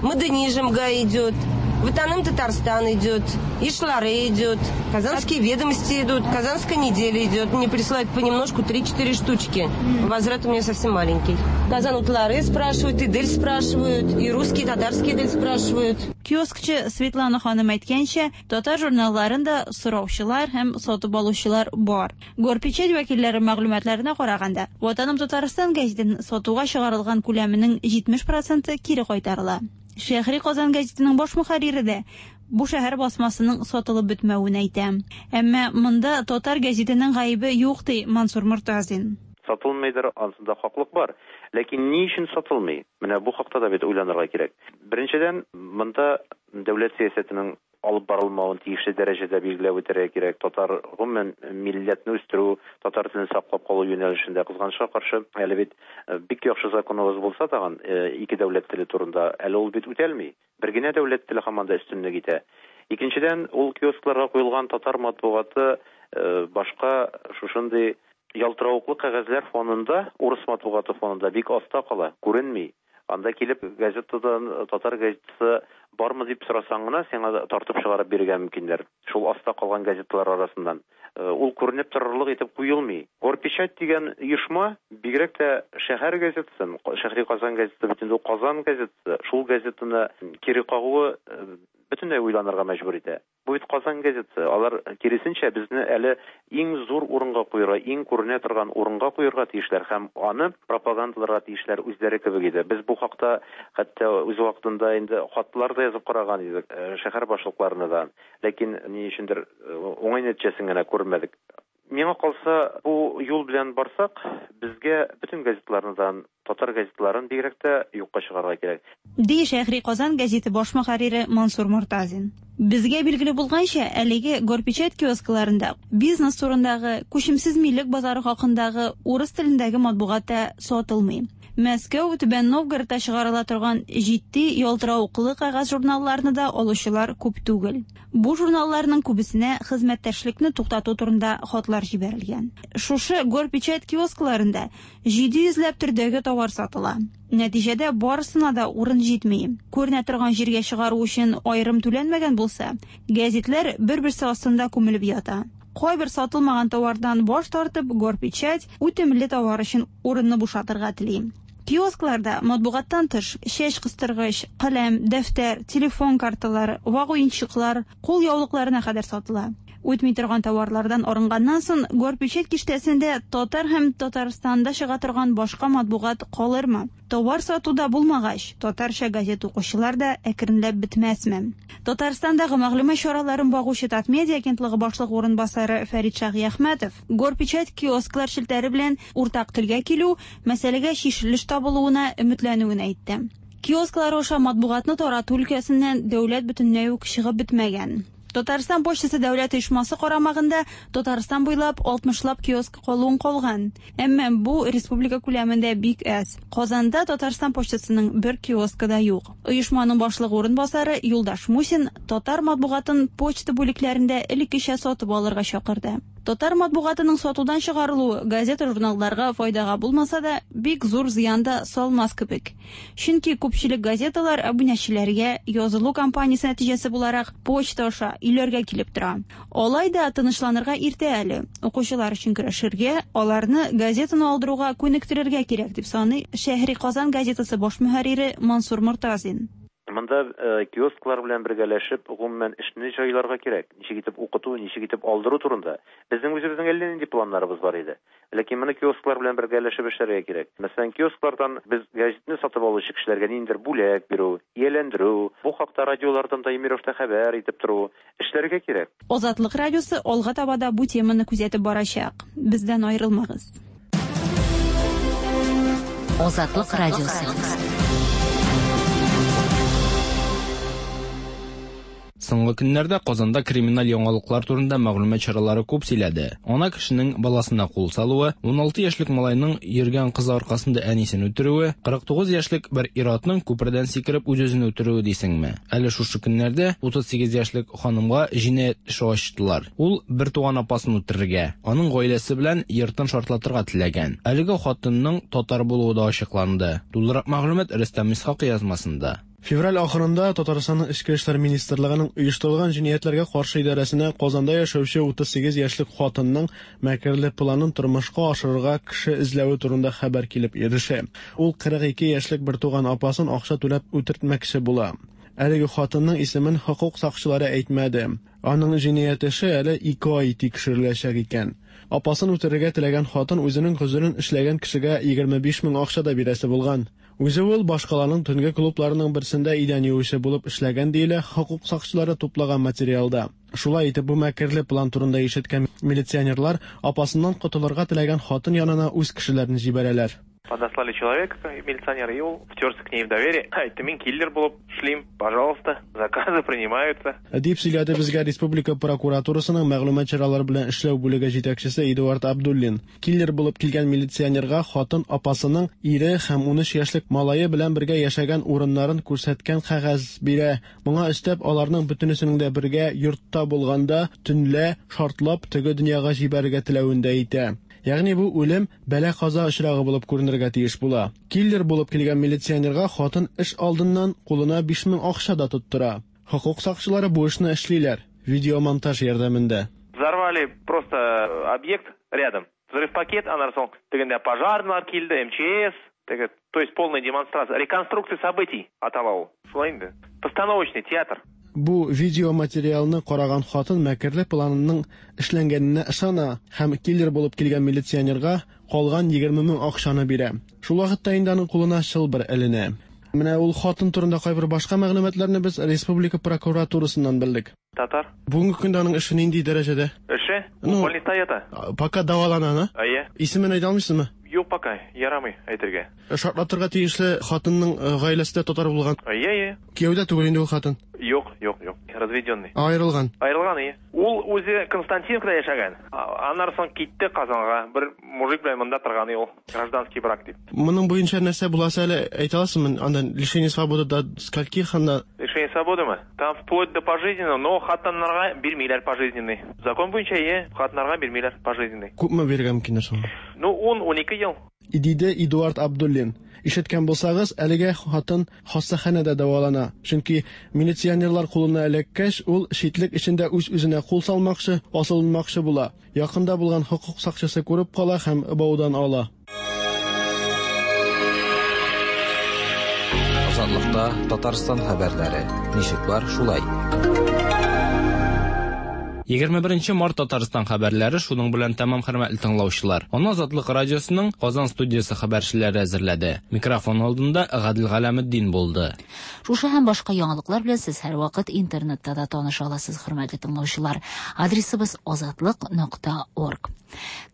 Модернизмга идет, Ватаным Татарстан идет, Ишлары идет, Казанские ведомости идут, Казанская неделя идет. Мне присылают понемножку 3-4 штучки. Возврат у меня совсем маленький. Казан Утлары спрашивают, Идель спрашивают, и русские, и татарские Идель спрашивают. Киоскчы Светлана ханым әйткәнчә, татар журналларын да сораучылар һәм сатып алучылар бар. Горпечать вәкилләре мәгълүматларына караганда, Ватаным Татарстан гәзитен сатуга чыгарылган күләменең 70 проценты кире кайтарыла. Шәһри Казан гәзитенең баш мөхәррире дә бу шәһәр басмасының сатылып бетмәвен әйтә. Әмма монда татар гәзитенең гаебе юк, ди Мансур Мортазин. Сатылмыйдыр, ансында хаклык бар. Ләкин ни өчен сатылмый? Менә бу хакта да бит уйланырга кирәк. Беренчедән, монда дәүләт сәясәтенең алып барылмавын тиешле дәрәҗәдә билгеләп үтәргә кирәк. Татар, гомумән, милләтне үстерү, татар телен саклап калу юнәлешендә, кызганычка каршы, әле бит бик яхшы законыбыз булса тагын, ике дәүләт теле турында, әле ул бит үтәлми. Бер генә дәүләт теле һаман да өстенлек итә. Икенчедән, ул киоскларга куелган татар матбугаты башка шушындый ялтыравыклы кәгазьләр фонында, урыс матбугаты фонында бик аста кала, күренми. Анда килеп газетадан татар газетасы бармы дип сорасаң гына, сиңа тартып чыгарып бирергә мөмкиннәр. Шул аста калган газеталар арасыннан. Ул күренеп торырлык итеп куелмый. Горпечать дигән оешма бигрәк тә шәһәр газетасын, Шәһри Казан газетасы бит инде ул Казан газетасы, шул газетаны кире кагуы бөтенләй уйланырга мәҗбүр итә. Бу бит Казан газетасы. Алар, киресенчә, безне әле иң зур урынга куерга, иң күренә торган урынга куерга тиешләр һәм аны пропагандаларга тиешләр үзләре кебек иде. Без бу хакта хәтта үз вакытында инде хатлар да язып караган идек шәһәр башлыкларына да. Ләкин ни өчендер уңай нәтиҗәсен генә күрмәдек. Миңа калса, бу юл белән барсак, безгә бөтен газеталарны да, татар газеталарын бигрәк тә юкка чыгарырга кирәк. Ди Шәһри Казан гәзите баш мөхәррире Мансур Мортазин. Безгә билгеле булганча, әлеге Горпечать киоскларында бизнес турындагы, күчемсез милек базары хакындагы урыс телендәге матбугат та сатылмый. Мәскәү, Түбән Новгородта чыгарыла торган җитди, ялтыравыклы кәгазь журналларны да алучылар күп түгел. Бу журналларның күбесенә хезмәттәшлекне туктату турында хатлар җибәрелгән. Шушы Горпечать киоскларында 700 ләп төрдәге товар сатыла. Нәтиҗәдә барысына да урын җитми. Күренә торган җиргә чыгару өчен аерым түләнмәгән булса, гәзитләр бер-берсе астында күмелеп ята. Кайбер сатылмаган товардан баш тартып, Горпечать үтемле товар өчен урынны бушатырга тели. Киоскларда матбугаттан тыш чәч кыстыргыч, каләм, дәфтәр, телефон карталары, вак уенчыклар, кул яулыкларына кадәр сатыла. Үтми торган товарлардан арынганнан соң, Горпечать киштәсендә татар һәм Татарстанда чыга торган башка матбугат калырмы? Товар сатуда булмагач, татарча газета укучылар да әкренләп бетмәсме? Татарстандагы мәгълүмат чараларын багучы Татмедиа агентлыгы башлыгы урынбасары Фәрит Шаһиәхмәтов Горпечать киосклар челтәре белән уртак телгә килү, мәсьәләгә чишелеш табылуына өметләнүен әйтте. Киосклар аша матбугатны тарату өлкәсеннән дәүләт бөтенләй үк чыгып бетмәгән. Татарстан почтасы дәүләт оешмасы карамагында Татарстан буйлап 60лап киоск калуын калган. Әмма бу республика күләмендә бик әз. Казанда Татарстан почтасының бер киоскы да юк. Оешманың башлыгы урынбасары Юлдаш Мусин татар матбугатын почта бүлекләрендә элеккечә сатып алырга чакырды. Татар матбугатының сатудан чыгарылуы газета-журналларга файдага булмаса да, бик зур зыян да салмас кебек. Чөнки күпчелек газеталар абунәчеләргә язылу кампаниясе нәтиҗәсе буларак почта аша өйләргә килеп тора. Алай да тынычланырга иртә әле. Укучылар өчен көрәшергә, аларны газетаны алдыруга күнектерергә кирәк, дип саный Шәһри Казан газетасы баш мөхәррире Мансур Мортазин. Монда киосклар белән бергәләшеп, гомумән, эшне җайларга кирәк. Ничек итеп укыту, ничек итеп алдыру турында. Безнең үзебезнең әллә нинди планнарыбыз бар иде. Ләкин моны киосклар белән бергәләшеп эшләргә кирәк. Мәсәлән, киосклардан без газетны сатып алучы кешеләргә ниндидер бүләк бирү, ияләндерү, бу хакта радиолардан даими рәвештә хәбәр итеп тору, эшләргә кирәк. Азатлык радиосы алга таба да бу теманы күзәтеп барачак. Бездән аерылмагыз. Азатлык радиосы. Соңгы көннәрдә Казанда криминаль яңалыклар турында мәгълүмат чаралары күп сөйләде. Ана кешенең баласына кул салуы, 16 яшьлек малайның йөргән кызы аркасында әнисен үтерүе, 49 яшьлек бер ир-атның күпердән сикереп үз-үзен үтерүе дисеңме? Әле шушы көннәрдә 38 яшьлек ханымга җинаять эше ачтылар. Ул бер туган апасын үтерергә, аның гаиләсе белән йортын шартлатырга теләгән. Әлеге хатынның татар булуы да ачыкланды. Тулырак мәгълүмат Рөстәм Исхакый язмасында. Февраль ахырында Татарстанның Эчке эшләр министрлыгының оештырылган җинаятьләргә каршы идарәсенә Казанда яшәүче 38 яшьлек хатынның мәкерле планын тормышка ашырырга кеше эзләве турында хәбәр килеп ирешә. Ул 42 яшьлек бертуган апасын акча түләп үтертмәкче була. Әлеге хатынның исемен хокук сакчылары әйтмәде. Аның җинаять эше әле 2 ай тикшереләчәк икән. Апасын үтерергә теләгән хатын үзенең гозерен эшләгән кешегә 25 мең акча да бирәсе булган. Үзе ул башкаланың төнге клубларының берсендә идән юучы булып эшләгән диелә хокук сакчылары туплаган материалда. Шулай итеп, бу мәкерле план турында ишеткән милиционерлар апасыннан котылырга теләгән хатын янына үз кешеләрен җибәрәләр. Подослали человека, милиционера, и ул втерся к ней в доверие. Әйтте, мин киллер булып эшлим, пожалуйста, заказы принимаются. Дип сөйләде безгә республика прокуратурасының мәгълүмат чаралары белән эшләү бүлеге җитәкчесе Эдуард Абдуллин. Киллер булып килгән милиционерга хатын апасының ире һәм 13 яшьлек малае белән бергә яшәгән урыннарын күрсәткән кәгазь бирә. Моңа өстәп, аларның бөтенесенең дә бергә йортта булганда төнлә шартлап теге дөньяга җибәрергә теләвен дә әйтә. Ягъни бу үлем бәла-каза очрагы булып күренергә тиеш була. Киллер булып килгән милиционерга хатын эш алдыннан кулына 5000 акча да тоттыра. Хокук сакчылары бу эшне эшлиләр видеомонтаж ярдәмендә. Взорвали просто объект рядом. Взрыв пакет, аннан соң тегендә пожарныйлар килде, МЧС, теге, то есть полная демонстрация, реконструкция событий атала ул. Шулай инде. Постановочный театр. Бу видеоматериалны караган хатын мәкерле планының эшләнгәненә ышана һәм киллер булып килгән милиционерга калган 20 мең акчаны бирә. Шул вакытта инде аның кулына чылбыр эленә. Менә ул хатын турында кайбер башка мәгълүматларны без республика прокуратурасыннан белдек. Татар. Бүгенге көндә аның эше нинди дәрәҗәдә? Эше? Ну, Больниста ята. Пока дәвалана, на? Әйе. Исемен әйтә алмыйсызмы? Юк пока, ярамый әйтергә. Шартлатырга тиешле хатынның гаиләсе дә татар булган. Әйе, әйе. Кияүдә түгел инде ул хатын. Юк, юк, юк. Разведенный. Аерылган. Аерылган, әйе. Ул үзе Константиновкада яшәгән. Аннан соң китте Казанга. Бер мужик белән монда торган ул. Гражданский брак дип. Моның буенча нәрсә буласы әле әйтә аласызмы? Анда лишение свободы до скольких анда? Лишение свободымы? Там вплоть до пожизненного, но хатыннарга бирмиләр пожизненный. Закон буенча, әйе, хатыннарга бирмиләр пожизненный. Күпме бирергә мөмкиннәр соң? Ну, 10-12 ел. Диде Эдуард Абдуллин. Ишеткән булсагыз, әлегә хатын хастаханәдә дәвалана. Чөнки милиционерлар кулына эләккәч, ул читлек эчендә үз-үзенә кул салмакчы, асылынмакчы була. Якында булган хокук сакчысы күреп кала һәм баудан ала. Азатлыкта Татарстан хәбәрләре. Ничек бар, шулай. 21 март Татарстан хәбәрләре шуның белән тәмам, хөрмәтле тыңлаучылар. Аны Азатлык радиосының Казан студиясе хәбәрчеләре әзерләде. Микрофон алдында Гадел Галәметдин булды. Шушы һәм башка яңалыклар белән сез һәрвакыт интернетта да таныша аласыз, хөрмәтле тыңлаучылар. Адресыбыз azatliq.org.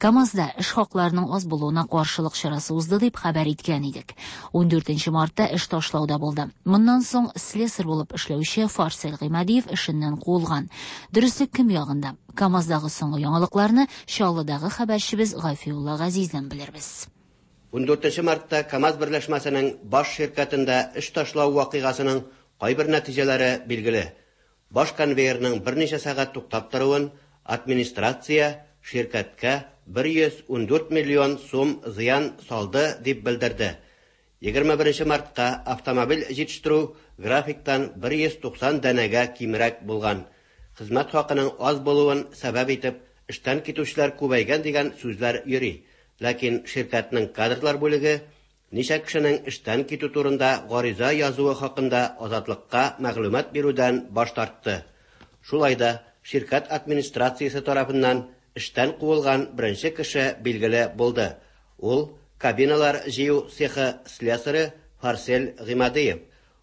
КАМАЗда эш хакларының аз булуына каршылык чарасы узды дип хәбәр иткән идек. 14 мартта эш ташлауда булды. Моннан соң слесарь булып эшләүче Фарсел Гыймадиев эшеннән куылган. Дөреслек кем ягында? КАМАЗдагы соңгы яңалыкларны Чаллыдагы хәбәрчебез Гафиулла Газиздән белербез. 14 мартта КАМАЗ берләшмәсенең баш ширкәтендә эш ташлау вакыйгасының кайбер нәтиҗәләре билгеле. Баш конвейерның берничә сәгать туктап торуын администрация ширкәткә 114 миллион сум зыян салды дип белдерде. 21 мартка автомобиль җитештерү графиктан 190 данәгә кимрәк булган. Хезмәт хакының аз булуын сәбәп итеп, эштән китүчеләр күбәйгән дигән сүзләр йөри. Ләкин ширкәтнең кадрлар бүлеге ничә кешенең эштән китү турында гариза язуы хакында Азатлыкка мәгълүмат бирүдән баш тартты. Шулай да ширкәт администрациясе тарафыннан эштән куылган беренче кеше билгеле булды. Ул кабиналар җыю цехы слесаре Фарсель Гыймадиев.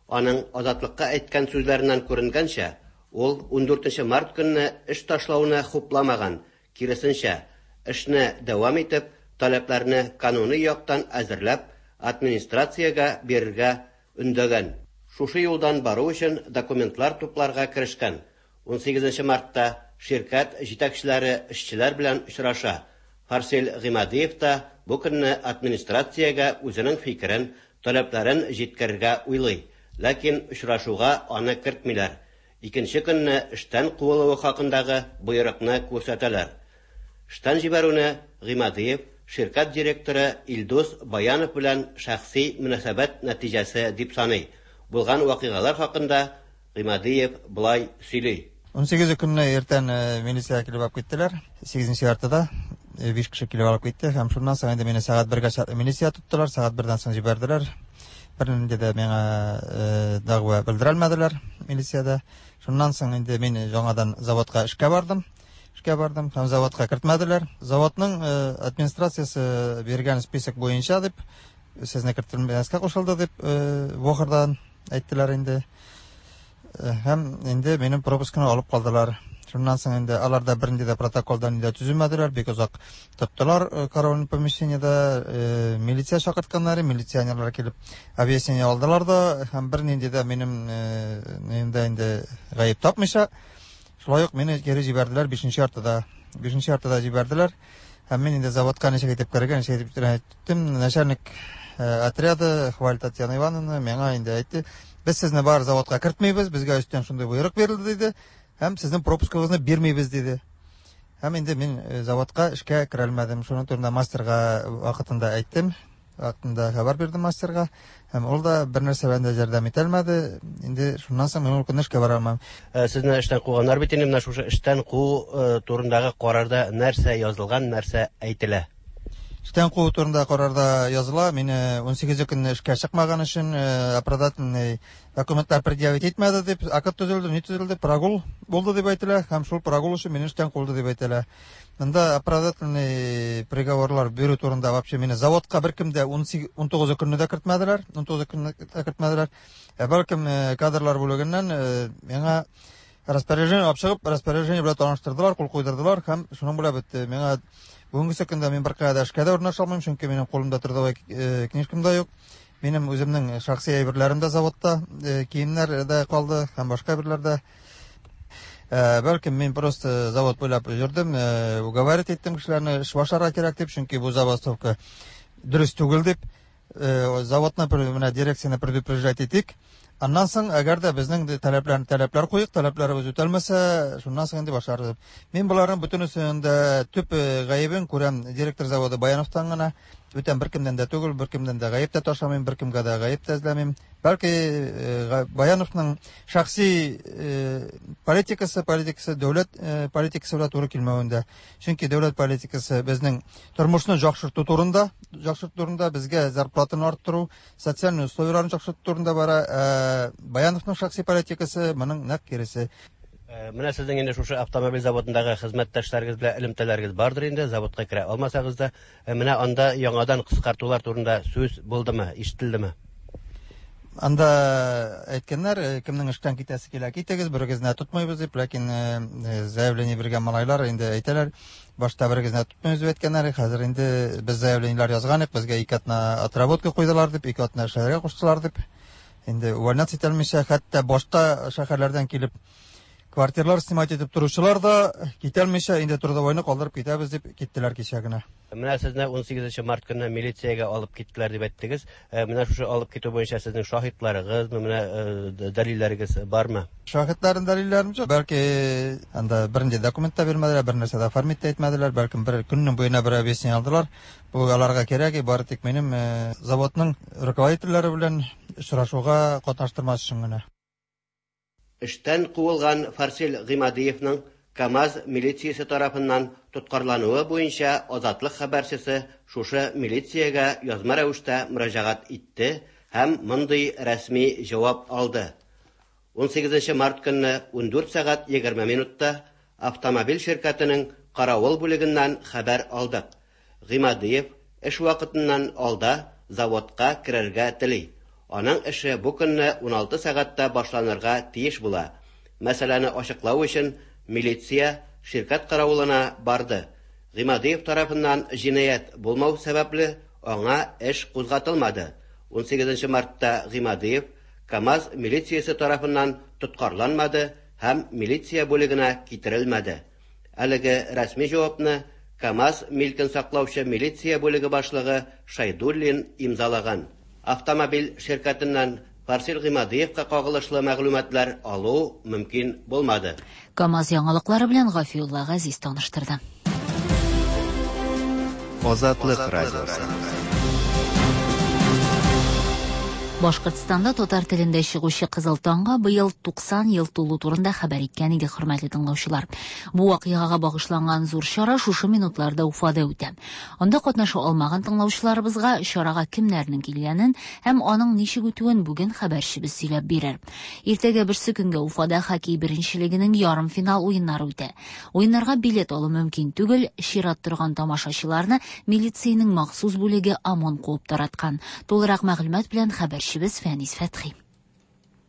Аның Азатлыкка әйткән сүзләреннән күренгәнчә, ул 14 март көнне эш ташлауны хупламаган, киресенчә, эшне дәвам итеп, таләпләрне кануни яктан әзерләп, администрациягә бирергә өндәгән. Шушы юлдан бару өчен документлар тупларга керешкән. 18 мартта ширкәт җитәкчеләре эшчеләр белән очраша. Фарсель Гыймадиев та бу көнне администрациягә үзенең фикерен, таләпләрен җиткерергә уйлый. Ләкин очрашуга аны кертмиләр. Икенче көнне эштән куылуы хакындагы боерыкны күрсәтәләр. Эштән җибәрүне Гыймадиев ширкәт директоры Илдус Баянов белән шәхси мөнәсәбәт нәтиҗәсе дип саный. Булган вакыйгалар хакында Гыймадиев болай сөйли. 18 көнне иртән милиция килеп алып киттеләр. 8 яртыда 5 кеше килеп алып китте һәм шуннан соң инде мине сәгать 1гә чаклы милиция тоттылар, сәгать 1дән соң җибәрделәр. Бернинди дә миңа дәгъва белдерелмәделәр милициядә. Шуннан соң инде мин яңадан заводка эшкә бардым. Эшкә бардым һәм заводка кертмәделәр. Заводның администрациясе биргән список буенча дип, сезне кертелмәскә кушылды дип, Вохордан әйттеләр инде. Һәм инде минем пропускны алып калдылар. Шуннан соң инде алар да бернинди дә протоколдан инде төземәделәр, бик озак тоттылар караульный помещениедә, милиция чакыртканнар, милиционерлар килеп объяснение алдылар да, һәм бернинди дә минем инде инде гаеп тапмыйча, шулай ук мине кире җибәрделәр 5 яртыда. 5 яртыда җибәрделәр. Һәм мин инде заводка ничек итеп керергә, ничек итеп әйттем, начальник отряда Хваль Татьяна Ивановна миңа инде әйтте, без сезне бар заводка кертмибез, безгә өстән шундый боерык бирелде диде, һәм сезнең пропускыгызны бирмибез диде. Һәм инде мин заводка эшкә керә алмадым. Шуның турында мастерга вакытында әйттем, вакытында хәбәр бирдем мастерга, һәм ул да бер нәрсә белән дә ярдәм итә алмады. Инде шуннан соң мин ул көнне эшкә бара алмам. Сезне эштән куганнар бит инде, менә шушы эштән куу турындагы карарда нәрсә язылган, нәрсә әйтелә? Эштән куу турында карарда языла, мине 18 көнне эшкә чыкмаган өчен оправдательный документлар предъявить итмәде дип, акт төзелде, ни төзелде, прогул булды дип әйтелә, һәм шул прогул өчен мине эштән куылды дип әйтелә. Монда оправдательный приговорлар бирү турында вообще мине заводка беркем дә 19 көнне дә кертмәделәр, 19 көнне дә кертмәделәр. Ә бәлкем кадрлар бүлегеннән миңа распоряжение алып чыгып, распоряжение белән таныштырдылар, кул куйдырдылар һәм шуның белән бетте. Миңа бүгенге көндә мин беркая да эшкә дә урнаша алмыйм, чөнки минем кулымда трудовой книжкам да юк. Минем үземнең шәхси әйберләрем дә заводта, киемнәр дә калды һәм башка әйберләр дә. Бәлкем мин просто завод буйлап йөрдем, уговаривать иттем кешеләрне эш башларга кирәк дип, чөнки бу забастовка дөрес түгел дип. Заводны менә дирекцияне предупреждать итик. Аннан соң, әгәр дә безнең таләпләрне таләпләр куйык, таләпләребез үтәлмәсә, шуннан соң инде башларбыз. Мин боларның бөтенесен дә төп гаебен күрәм директор заводы Баяновтан гына. Бүтән беркемнән дә түгел, беркемнән дә гаеп тә ташламыйм, беркемгә дә гаеп тә эзләмим. Бәлки Баяновның шәхси политикасы, политикасы дәүләт политикасы белән туры килмәвендә. Чөнки дәүләт политикасы безнең тормышны яхшырту турында, яхшырту турында, безгә зарплатаны арттыру, социальный условияләрне яхшырту турында бара. Баяновның шәхси политикасы моның нәкъ киресе. Менә сезнең инде шушы автомобиль заводындагы хезмәттәшләрегез белән элемтәләрегез бардыр инде, заводка керә алмасагыз да. Менә анда яңадан кыскартулар турында сүз булдымы, ишетелдеме? Анда әйткәннәр, кемнең эштән китәсе килә, китегез, берегезне тотмыйбыз дип, ләкин заявление биргән малайлар инде әйтәләр, башта берегезне тотмыйбыз дип әйткәннәр, хәзер инде без заявлениеләр язган идек, безгә 2 атна отработка куйдылар дип, 2 атна эшләргә куштылар дип. Инде увольняться итә алмыйча, хәтта башка шәһәрләрдән килеп Квартиралар снимать итеп торучылар да китәлмичә, инде трудовойны калдырып китәбез дип киттеләр кичә генә. Менә сезне 18 март көнне милициягә алып киттеләр дип әйттегез. Менә шушы алып китү буенча сезнең шаһитларыгызмы, менә дәлилләрегез бармы? Шаһитларым, дәлилләрем юк. Бәлки анда бернинди документ та бирмәделәр, бер нәрсә дә оформить тә итмәделәр. Бәлкем бер көннең буена бер объяснение алдылар. Бу аларга кирәк, бары тик минем заводның руководительләре белән очрашуга катнаштырмас өчен генә. Эштән куылган Фарсил Гыймадиевның КАМАЗ милициясе тарафыннан тоткарлануы буенча Азатлык хәбәрчесе шушы милициягә язма рәвештә мөрәҗәгать итте һәм мондый рәсми җавап алды. 18 март көнне 14 сәгать 20 минутта автомобиль ширкәтенең каравыл бүлегеннән хәбәр алдык. Гыймадиев эш вакытыннан алда заводка керергә тели. Аның эше бу көнне 16 сәгатьтә башланырга тиеш була. Мәсьәләне ачыклау өчен милиция ширкәт каравылына барды. Гыймадиев тарафыннан җинаять булмау сәбәпле, аңа эш кузгатылмады. 18 мартта Гыймадиев КАМАЗ милициясе тарафыннан тоткарланмады һәм милиция бүлегенә китерелмәде. Әлеге рәсми җавапны КАМАЗ милкен саклаучы милиция бүлеге башлыгы Шайдуллин имзалаган. Автомобиль ширкәтеннән Фарсил Гыймадиевка кагылышлы мәгълүматлар алу мөмкин булмады. КАМАЗ яңалыклары белән Гафиулла Газиз таныштырды. Азатлык радиосы. Башкортстанда татар телендә чыгучы Кызыл таңга быел 90 ел тулу турында хәбәр иткән иде, хөрмәтле тыңлаучылар. Бу вакыйгага багышланган зур чара шушы минутларда Уфада үтә. Анда катнаша алмаган тыңлаучыларыбызга чарага кемнәрнең килгәнен һәм аның ничек үтүен бүген хәбәрчебез сөйләп бирер. Иртәгә берсе көнгә Уфада хоккей беренчелегенең ярымфинал уеннары үтә. Уеннарга билет алу мөмкин түгел, чират торган тамашачыларны милициянең махсус бүлеге ОМОН куып тараткан. Тулырак мәгълүмат белән хәбәрчебез Фәнис Фәтхи.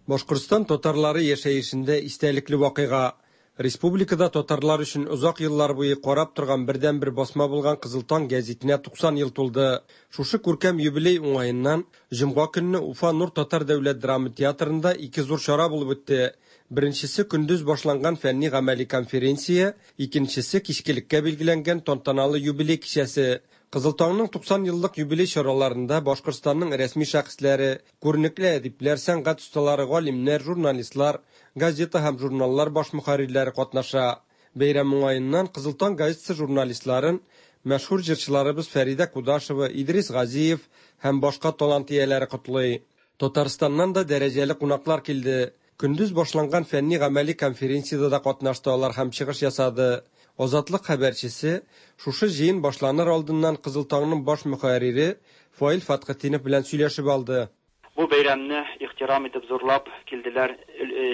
Башкортстан татарлары яшәешендә истәлекле вакыйга. Республикада татарлар өчен озак еллар буе карап торган бердәнбер басма булган Кызыл таң гәзитенә 90 ел тулды. Шушы күркәм юбилей уңаеннан җомга көнне Уфа Нур татар дәүләт драма театрында ике зур чара булып үтте. Беренчесе көндез башланган фәнни гамәли конференция, икенчесе кичкелеккә билгеләнгән тантаналы юбилей кичәсе. Кызыл таңның 90 еллык юбилей чараларында Башкортстанның рәсми шәхесләре, күренекле әдипләр, сәнгать осталары, галимнәр, журналистлар, газета һәм журналлар баш мөхәррирләре катнаша. Бәйрәм уңаеннан Кызыл таң газетасы журналистларын мәшһүр җырчыларыбыз Фәридә Кудашева, Идрис Газиев һәм башка талант ияләре котлый. Татарстаннан да дәрәҗәле кунаклар килде. Көндез башланган фәнни гамәли конференциядә дә катнашты алар һәм чыгыш ясады. Азатлык хәбәрчесе шушы җыен башланыр алдыннан Кызыл таңның баш мөхәррире Фаил Фәтхетдинов белән сөйләшеп алды. Бу бәйрәмне ихтирам итеп зурлап килделәр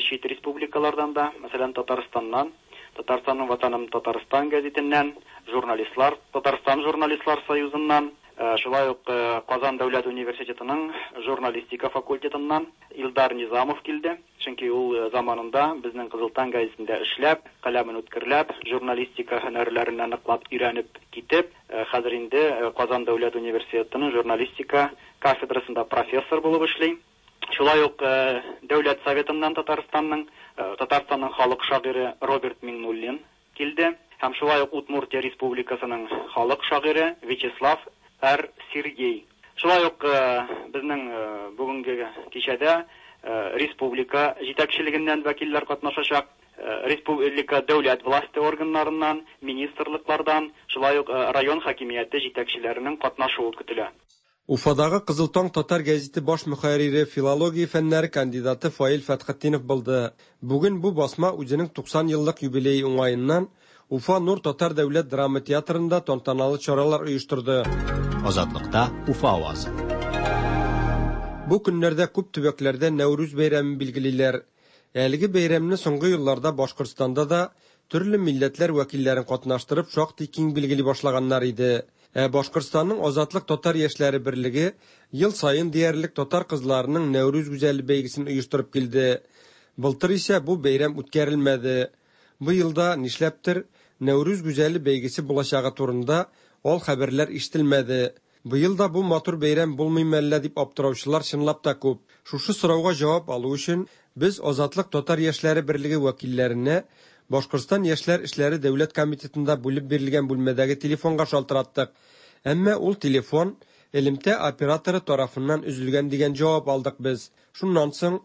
чит республикалардан да, мәсәлән, Татарстаннан, Татарстанның Ватаным Татарстан гәзитеннән, журналистлар, Татарстан журналистлар союзыннан, шулай ук Казан дәүләт университетының журналистика факультетыннан Илдар Низамов килде. Чөнки ул заманында безнең Кызыл таң гәзитендә эшләп, каләмен үткерләп, журналистика һөнәрләренә ныклап өйрәнеп китеп, хәзер инде Казан дәүләт университетының журналистика кафедрасында профессор булып эшли. Шулай ук Дәүләт советыннан Татарстанның, Татарстанның халык шагыйре Роберт Миңнуллин килде һәм шулай ук Удмуртия Республикасының халык шагыйре Вячеслав Р. Сергей. Шулай ук безнең бүгенге кичәдә республика җитәкчелегеннән вәкилләр катнашачак, республика дәүләт власте органнарыннан, министрлыклардан, шулай ук район хакимияте җитәкчеләренең катнашуы көтелә. Уфадагы Кызыл таң татар гәзите баш мөхәррире, филология фәннәре кандидаты Фаил Фәтхетдинов булды. Бүген бу басма үзенең 90 еллык юбилее уңаеннан Уфа Нур татар дәүләт драма театрында тантаналы чаралар оештырды. Азатлыкта Уфа авазы. Бу көннәрдә күп төбәкләрдә Нәүрүз бәйрәмен билгелиләр. Әлеге бәйрәмне соңгы елларда Башкортстанда да төрле милләтләр вәкилләрен катнаштырып шактый киң билгели башлаганнар иде. Ә Башкортстанның Азатлык татар яшьләре берлеге ел саен диярлек татар кызларының Нәүрүз гүзәле бәйгесен оештырып килде. Былтыр исә бу бәйрәм үткәрелмәде. Бу елда нишләптер Нәүрүз гүзәле бәйгесе булачагы турында ал хәбәрләр ишетелмәде. Быел да бу матур бәйрәм булмый мәллә дип аптыраучылар чынлап та күп. Шушы сорауга җавап алу өчен без Азатлык татар яшьләре берлеге вәкилләренә Башкортстан яшьләр эшләре дәүләт комитетында бүлеп бирелгән бүлмәдәге телефонга шалтыраттык. Әмма ул телефон элемтә операторы тарафыннан өзелгән дигән җавап алдык без. Шуннан соң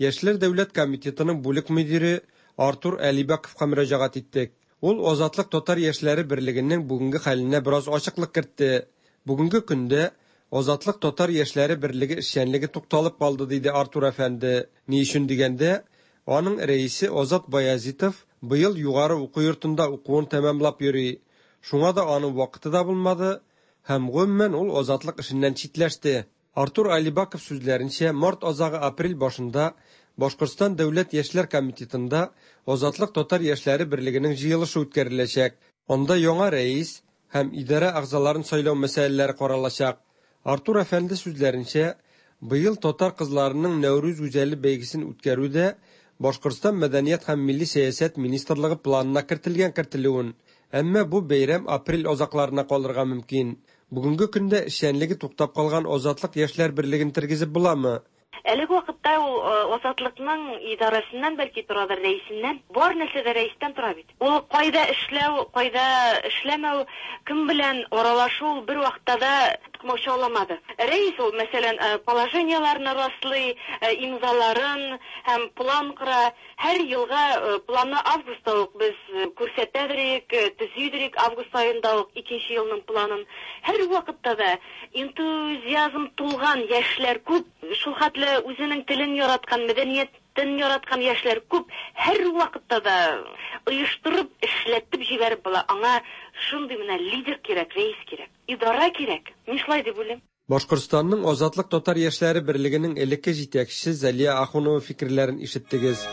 Яшьләр дәүләт комитетының бүлек мөдире Артур Әлибәковка мөрәҗәгать иттек. Ул Азатлык татар яшьләре берлегенең бүгенге хәленә бераз ачыклык кертте. Бүгенге көндә Азатлык татар яшьләре берлеге эшчәнлеге тукталып калды, диде Артур әфәнде. Ни өчен дигәндә, аның рәисе Азат Баязитов быел югары уку йортында укуын тәмамлап йөри. Шуңа да аның вакыты да булмады һәм гомумән ул Азатлык эшеннән читләште. Артур Алибаков сүзләренчә, март азагы-апрель башында Башкортстан дәүләт яшьләр комитетында Азатлык татар яшьләре берлегенең җыелышы үткәреләчәк. Анда яңа рәис һәм идарә әгъзаларын сайлау мәсьәләләре каралачак. Артур әфәнде сүзләренчә, быел татар кызларының Нәүрүз гүзәле бәйгесен үткәрү дә Башкортстан мәдәният һәм милли сәясәт министрлыгы планына кертелгән кертелүен, әмма бу бәйрәм апрель азакларына калырга мөмкин. Бүгенге көндә эшчәнлеге туктап калган Азатлык яшьләр берлеген тергезеп буламы? Әлеге вакытта ул Азатлыкның идарәсеннән бәлки торадыр, рәисеннән. Бар нәрсә дә рәистән тора бит. Ул кайда эшләү, кайда эшләмәү, кем белән аралашу ул бер вакытта да комачауламады. Рәис ул, мәсәлән, положениеләрне раслый, имзаларын һәм план кора. Һәр елга планны августта ук без күрсәтәдерик, төзидерик август аенда ук икенче елның планын. Һәр вакытта да энтузиазм тулган яшьләр күп, шул хәтле үзенең телен яраткан, мәдәниятен яраткан яшьләр күп. Һәр вакытта да оештырып, эшләтеп җибәреп була. Аңа шундый менә лидер кирәк, рәис кирәк, идара кирәк. Мин шулай дип уйлыйм. Башкортстанның Азатлык татар яшьләре берлегенең элекке җитәкчесе Зәлия Ахунова фикерләрен ишеттегез.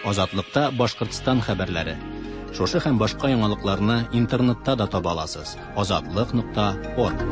Азатлыкта Башкортстан хәбәрләре. Шушы һәм башка яңалыкларны интернетта да таба аласыз. Азатлык.орг.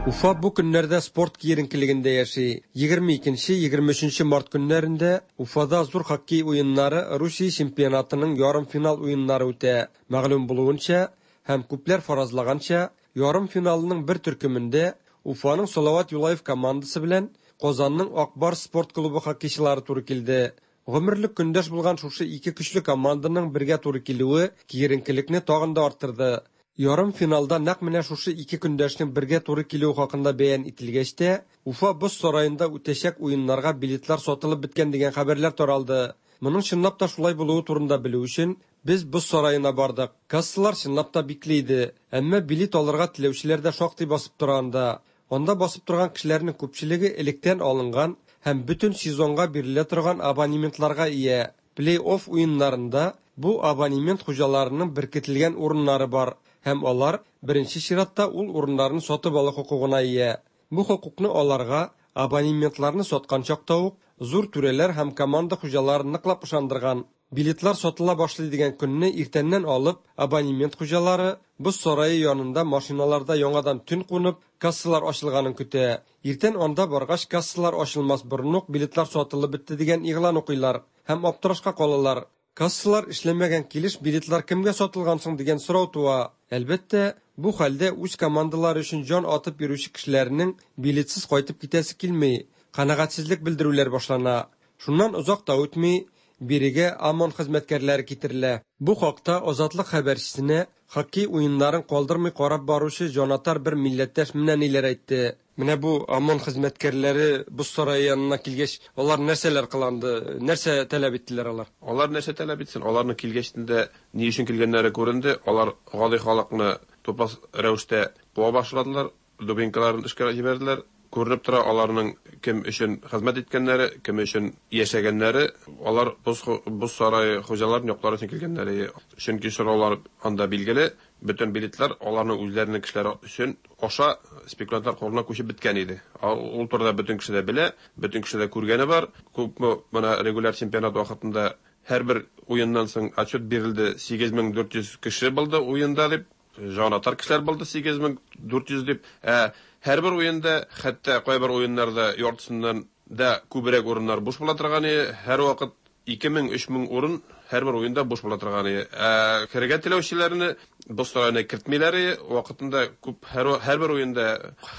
Уфа бу көннәрдә спорт киеренкелегендә яши. 22-23 март көннәрендә Уфада зур хоккей уеннары Русия чемпионатының ярымфинал уеннары үтә. Мәгълүм булуынча һәм күпләр фаразлаганча, ярымфиналның бер төркемендә Уфаның Салават Юлаев командасы белән Казанның Ак Барс спорт клубы хоккейчылары туры килде. Гомерлек көндәш булган шушы ике көчле команданың бергә туры килүе киеренкелекне тагын да арттырды. Ярымфиналда нәкъ менә шушы ике көндәшнең бергә туры килүе хакында бәян ителгәч тә, Уфа боз сараенда үтәчәк уеннарга билетлар сатылып беткән дигән хәбәрләр таралды. Моның чынлап та шулай булуы турында белү өчен без боз сараена бардык. Кассалар чынлап та бикле иде, әмма билет алырга теләүчеләр дә шактый басып тора анда. Анда басып торган кешеләрнең күпчелеге электән алынган һәм бөтен сезонга бирелә торган абонементларга ия. Плей-офф уеннарында бу абонемент хуҗаларының беркетелгән урыннары бар һәм алар беренче чиратта ул урыннарны сатып алу хокукына ия. Бу хокукны аларга абонементларны саткан чакта ук зур түрәләр һәм команда хуҗалары ныклап ышандырган. Билетлар сатыла башлый дигән көнне иртәннән алып, абонемент хуҗалары боз сарае янында машиналарда яңадан төн кунып, кассалар ачылганын көтә. Иртән анда баргач, кассалар ачылмас борын ук билетлар сатылып бетте дигән игълан укыйлар һәм аптырашка калалар. Кассалар эшләмәгән килеш билетлар кемгә сатылган соң дигән сорау туа. Әлбәттә, бу хәлдә үз командалары өчен җан атып йөрүче кешеләрнең билетсыз кайтып китәсе килми. Канәгатьсезлек белдерүләр башлана. Шуннан озак та үтми, бирегә ОМОН хезмәткәрләре китерелә. Бу хакта Азатлык хәбәрчесенә хоккей уеннарын калдырмый карап баручы җанатар бер милләттәш менә ниләр әйтте. Менә бу ОМОН хезмәткәрләре боз сарае янына килгәч, алар нәрсәләр кыланды, нәрсә таләп иттеләр алар? Алар нәрсә таләп итсен? Аларның килгәчтен дә ни өчен килгәннәре күренде. Алар гади халыкны тупас рәвештә куа башладылар, дубинкаларын эшкә җибәрделәр. Күренеп тора, аларның кем өчен хезмәт иткәннәре, кем өчен яшәгәннәре, алар боз, боз сарае хуҗаларын яклар өчен килгәннәре. Чөнки сораулар анда билгеле, бөтен билетлар аларның үзләренең кешеләре өчен аша спекулянтлар кулына күчеп беткән иде. Ул турыда бөтен кеше дә белә, бөтен кеше дә күргәне бар. Күпме менә регуляр чемпионат вакытында һәрбер уеннан соң отчет бирелде, 8400 кеше булды уенда дип, җанатар кешеләр булды 8400 дип. Ә һәрбер уенда, хәтта кайбер уеннарда яртысыннан да күбрәк урыннар буш була торган иде. Һәрвакыт 2000-3000 урын Һәрбер уенда буш була торган иде. Ә керергә теләүчеләрне боз сараена кертмиләр иде. Вакытында күп һәр һәрбер уенда,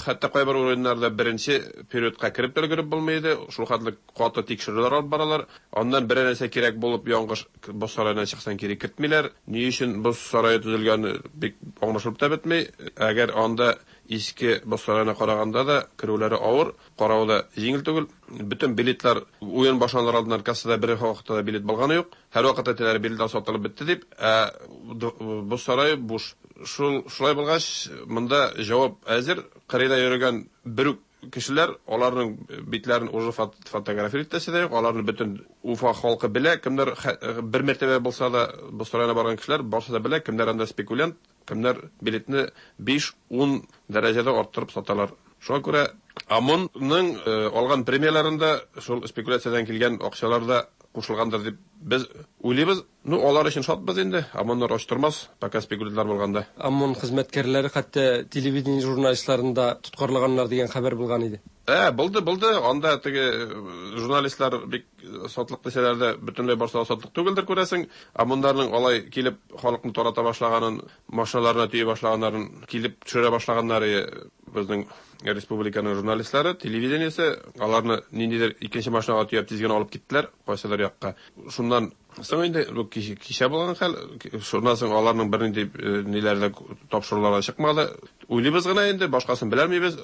хәтта кайбер уеннарда беренче периодка кереп тә өлгереп булмый иде. Шул хәтле каты тикшерүләр алып баралар. Аннан берәр нәрсә кирәк булып яңгыш боз сараеннан чыксаң кире кертмиләр. Ни өчен боз сарае төзелгәне бик аңлашылып та бетми. Әгәр анда иске боз сараена караганда да керүләре авыр, каравы да җиңел түгел. Бөтен билетлар уен башланыр алдыннан кассада бер вакытта да билет булганы юк. Һәрвакыт әйтәләр, билетлар сатылып бетте дип, ә боз сарае буш. Шул шулай булгач, монда җавап әзер. Кырыйда йөрегән бер үк кешеләр, аларның битләрен уже фотографировать итәсе дә юк, аларны бөтен Уфа халкы белә, кемнәр бер мәртәбә булса да боз сараена барган кешеләр барысы да белә, кемнәр анда спекулянт, кемнәр билетны 5-10 дәрәҗәдә арттырып саталар. Шуңа күрә ОМОН ның алган премияләрендә шул спекуляциядән килгән акчалар да кушылгандыр дип без уйлыйбыз. Ну, алар өчен шатбыз инде. ОМОНнар ач тормас, пока спекулянтлар булганда. ОМОН хезмәткәрләре хәтта телевидение журналистларын да тоткарлаганнар дигән хәбәр булган иде. Ә, булды, булды. Анда теге журналистлар бик сатлык дисәләр дә, бөтенләй барсы да сатлык түгелдер, күрәсең. ОМОНнарның алай килеп халыкны тарата башлаганын, машиналарына төйи башлаганнарын, килеп төшерә башлаганнары безнең республиканың журналистлары, телевидениесе, аларны ниндидер икенче машинага төяп тиз генә алып киттеләр, кайсыдыр якка. Шуннан соң инде, бу кичә булган хәл, шуннан соң аларның бернинди ниләре дә, тапшырулары да чыкмады. Уйлыйбыз гына инде, башкасын беләлмибез,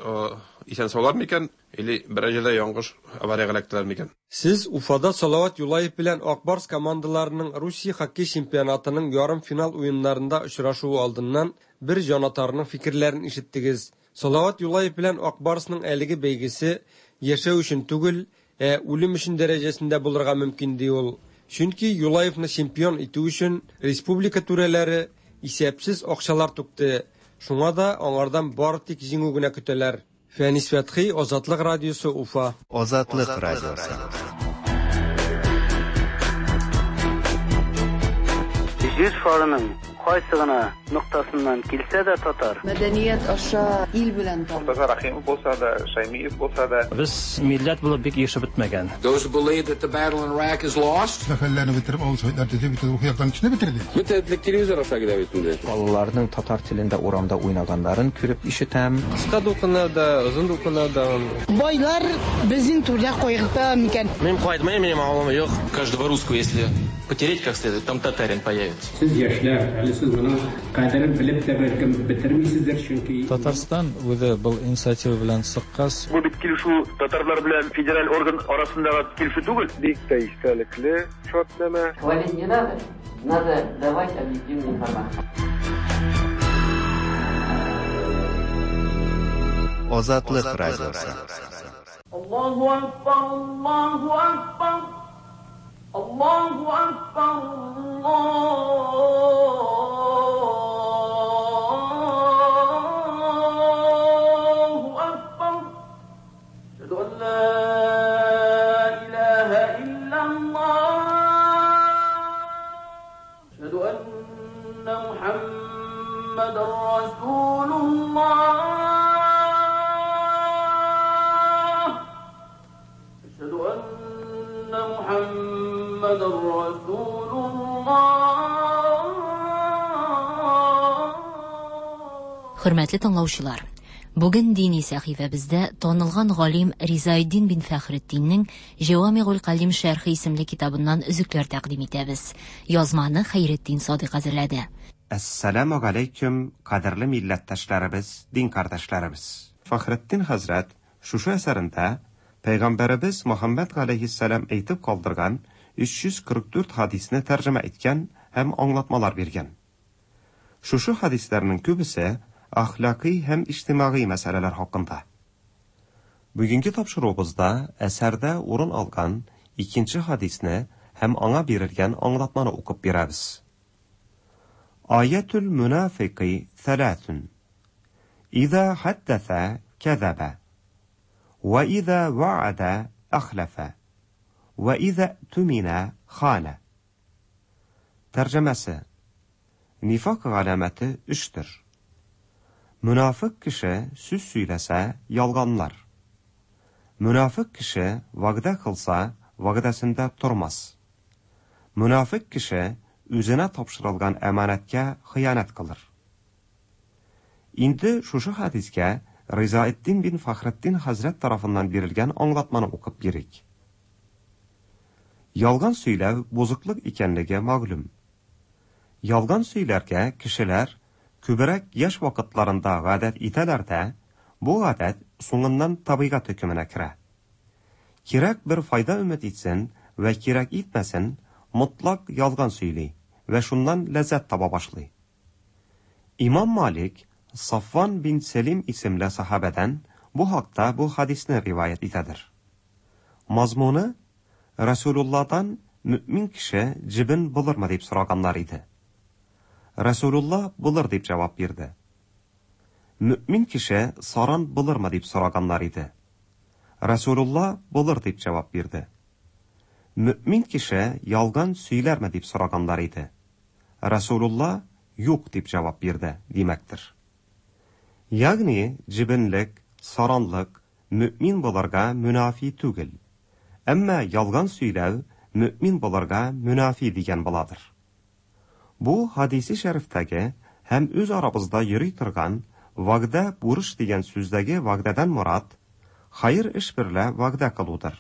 исән-саулар микән, или берәр җирдә яңгыш авариягә эләктеләр микән. Сез Уфада Салават Юлаев белән Ак Барс командаларының Русия хоккей чемпионатының ярымфинал уеннарында очрашуы алдыннан бер җанатарның фикерләрен ишеттегез. Салават Юлаев белән Ак Барсның әлеге бәйгесе яшәү өчен түгел, ә үлем өчен дәрәҗәсендә булырга мөмкин, ди ул. Чөнки Юлаевны чемпион итү өчен республика түрәләре исәпсез акчалар түкте, шуңа да аңардан бары тик җиңү генә көтәләр. Фәнис Фәтхи, Азатлык радиосы, Уфа. Азатлык радиосы. Җир шарының кайсы гына ноктасыннан килсә дә татар. Мәдәният аша ил белән таныш. Мортаза Рәхимов булса да, Шәймиев булса да. Без милләт булып бик ирешеп бетмәгән. Those who believe that the battle in Iraq is lost. Сәфәрләрне бетереп, авыл советлар төзеп, бөтен рухи яктан көчне бетерде. Бөтен телевизор аша килә бит инде. Балаларның татар телендә урамда уйнаганнарын күреп ишетәм. Кыска дулкыннарда, озын дулкыннарда. Байлар безнең түрдә кайгырта микән? Мин кайтмыйм, минем авылым юк. Каждого русского, если потереть как следует, там татарин появится. Сез яшьләр, әле сез моның кадерен белеп тә бәлкем бетермисездер, чөнки. Татарстан үзе был инициатива белән чыккач. Бу бит килешү татарлар белән федераль орган арасындагы килешү түгел. Бик тә истәлекле шартнамә. Хвалить не надо, надо давать объективную информацию. Азатлык радиосы. Аллаһу акбар, Аллаһу акбар, Аллаһу акбар, Аллаһу акбар. Әшһәду ан ла илаһа иллаллаһ. Әшһәду анна Мухаммадан расулуллаһ. Әшһәду анна Мухаммадан расулуллаһ. Хөрмәтле тыңлаучылар, бүген дини сәхифәбездә танылган галим Ризаэддин бин Фәхретдиннең Җәвамигуль Калим шәрхе исемле китабыннан өзекләр тәкъдим итәбез. Язманы Хәйретдин Садыйк әзерләде. Әссәламү галәйкүм, кадерле милләттәшләребез, дин кардәшләребез! Фәхретдин хәзрәт шушы әсәрендә Пәйгамбәребез Мөхәммәд галәйһиссәлам әйтеп калдырган 344 хадисне тәрҗемә иткән һәм аңлатмалар биргән. Шушы хадисләрнең күбесе әхлакый һәм иҗтимагый мәсьәләләр хакында. Бүгенге тапшыруыбызда әсәрдә урын алган икенче хадисне һәм аңа бирелгән аңлатманы укып бирәбез. Аятул мунафикый thalathun. Иза хәддәсә кәзәбә. Вә иза вәгъәдә әхләфә. Вә иза түминә ханә. Тәрҗемәсе. Нифак галәмәте өчтер. Мөнафык кеше сүз сөйләсә, ялганлар. Мөнафык кеше вәгъдә кылса, вәгъдәсендә тормас. Мөнафыйк кеше үзенә тапшырылган әманәткә хыянәт кылыр. Инде шушы хәдискә Ризаэтдин бин Фәхретдин хәзрәт тарафыннан бирелгән аңлатманы укып бирик. Ялган сөйләү бозыклык икәнлеге мәгълүм. Ялган сөйләргә кешеләр күбрәк яшь вакытларында гадәт итәләр дә, бу гадәт соңыннан табигать хөкеменә керә. Кирәк бер файда өмет итсен вә кирәк итмәсен, мотлак ялган сөйли вә шуннан ләззәт таба башлый. Имам Малик Сафван бин Сәлим исемле сахабәдән бу хакта бу хадисне риваять итәдер. Мазмуны Расулулладан мөэмин кеше җебен булырмы дип сораганнар иде. Расулулла булыр дип җавап бирде. Мөэмин кеше саран булырмы дип сораганнар иде. Расулулла булыр дип җавап бирде. Мөэмин кеше ялган сөйләрме дип сораганнар иде. Расулулла юк дип җавап бирде, димәктер. Ягъни җебенлек, саранлык мөэмин булырга мөнафи түгел. Әмма ялган сөйләү мөэмин булырга мөнафи дигән буладыр. Бу хадиси шәрифтәге һәм үз арабызда йөри торган вәгъдә бурыч дигән сүздәге вәгъдәдән морад хәер эш берлә вәгъдә кылудыр.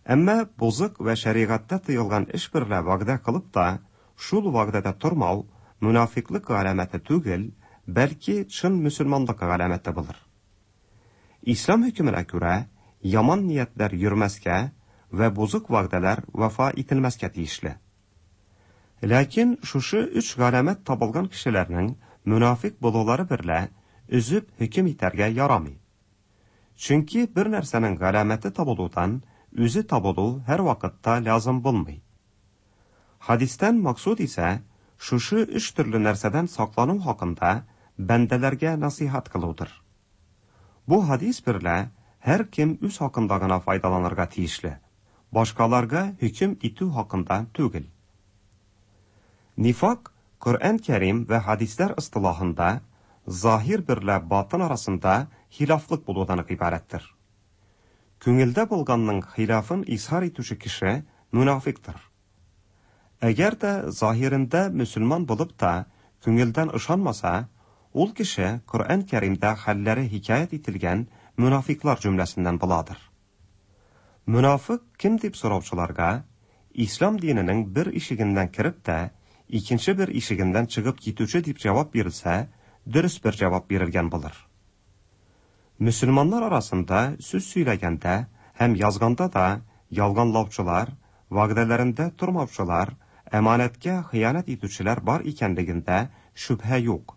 Әмма бозык вә шәригатьтә тыелган эш берлә вәгъдә кылып та, шул вәгъдәдә тормау мөнафиклык галәмәте түгел, бәлки чын мөселманлык галәмәте булыр. Ислам хөкеменә күрә, яман ниятләр йөрмәскә вә бозык вәгъдәләр вафа ителмәскә тиешле. Ләкин шушы өч галәмәт табылган кешеләрнең мөнафик булулары берлә өзеп хөкем итәргә ярамый. Чөнки бер нәрсәнең галәмәте табылудан үзе табылу һәрвакытта лязым булмый. Хадистән максуд исә шушы өч төрле нәрсәдән саклану хакында бәндәләргә насыйхат кылудыр. Бу хадис берлә һәркем үз хакында гына файдаланырга тиешле, башкаларга хөкем итү хакында түгел. Нифак Коръән Кәрим вә хадисләр ыстылахында заһир берлә батын арасында хилафлык булудан гыйбарәттер. Күңелдә булганның хилафын изһар итүче кеше мөнафиктыр. Әгәр дә заһирендә мөселман булып та күңелдән ышанмаса, ул кеше Коръән Кәримдә хәлләре хикәят ителгән мөнафиклар җөмләсеннән буладыр. Мөнафык кем дип сораучыларга, Ислам диненең бер ишегеннән кереп тә, икенче бер ишегеннән чыгып китүче дип җавап бирелсә, дөрес бер җавап бирелгән булыр. Мөселманнар арасында сүз сөйләгәндә һәм язганда да ялганлаучылар, вәгъдәләрендә тормаучылар, әманәткә хыянәт итүчеләр бар икәнлегендә шөбһә юк.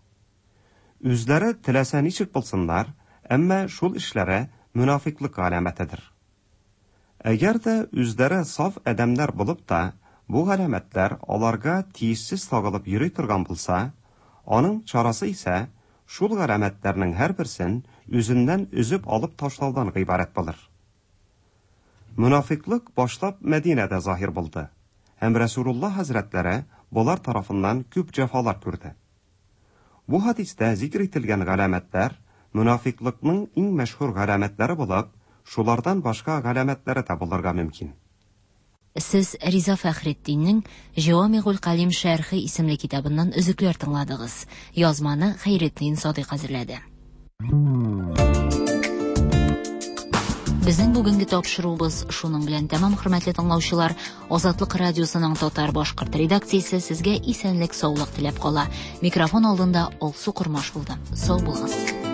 Үзләре теләсә ничек булсыннар, әмма шул эшләре мөнафиклык галәмәтедер. Әгәр дә үзләре саф адәмнәр булып та, бу галәмәтләр аларга тиешсез тагылып йөри торган булса, аның чарасы исә шул галәмәтләрнең һәрберсен үзеннән өзеп алып ташлаудан гыйбарәт булыр. Мөнафиклык башлап Мәдинәдә заһир булды һәм Рәсүлулла хәзрәтләре болар тарафыннан күп җәфалар күрде. Бу хадистә зикр ителгән галәмәтләр мөнафиклыкның иң мәшһүр галәмәтләре булып, шулардан башка галәмәтләре дә булырга мөмкин. Сез Риза Фәхретдиннең Җавамигуль Калим шәрхе исемле китабыннан өзекләр тыңладыгыз. Язманы Хәйретдин Садыйк әзерләде. Безнең бүгенге тапшыруыбыз шуның белән тәмам, хөрмәтле тыңлаучылар. Азатлык радиосының татар башкорт редакциясе сезгә исәнлек, саулык теләп кала. Микрофон алдында Алсу Кормаш булды. Сау булыгыз.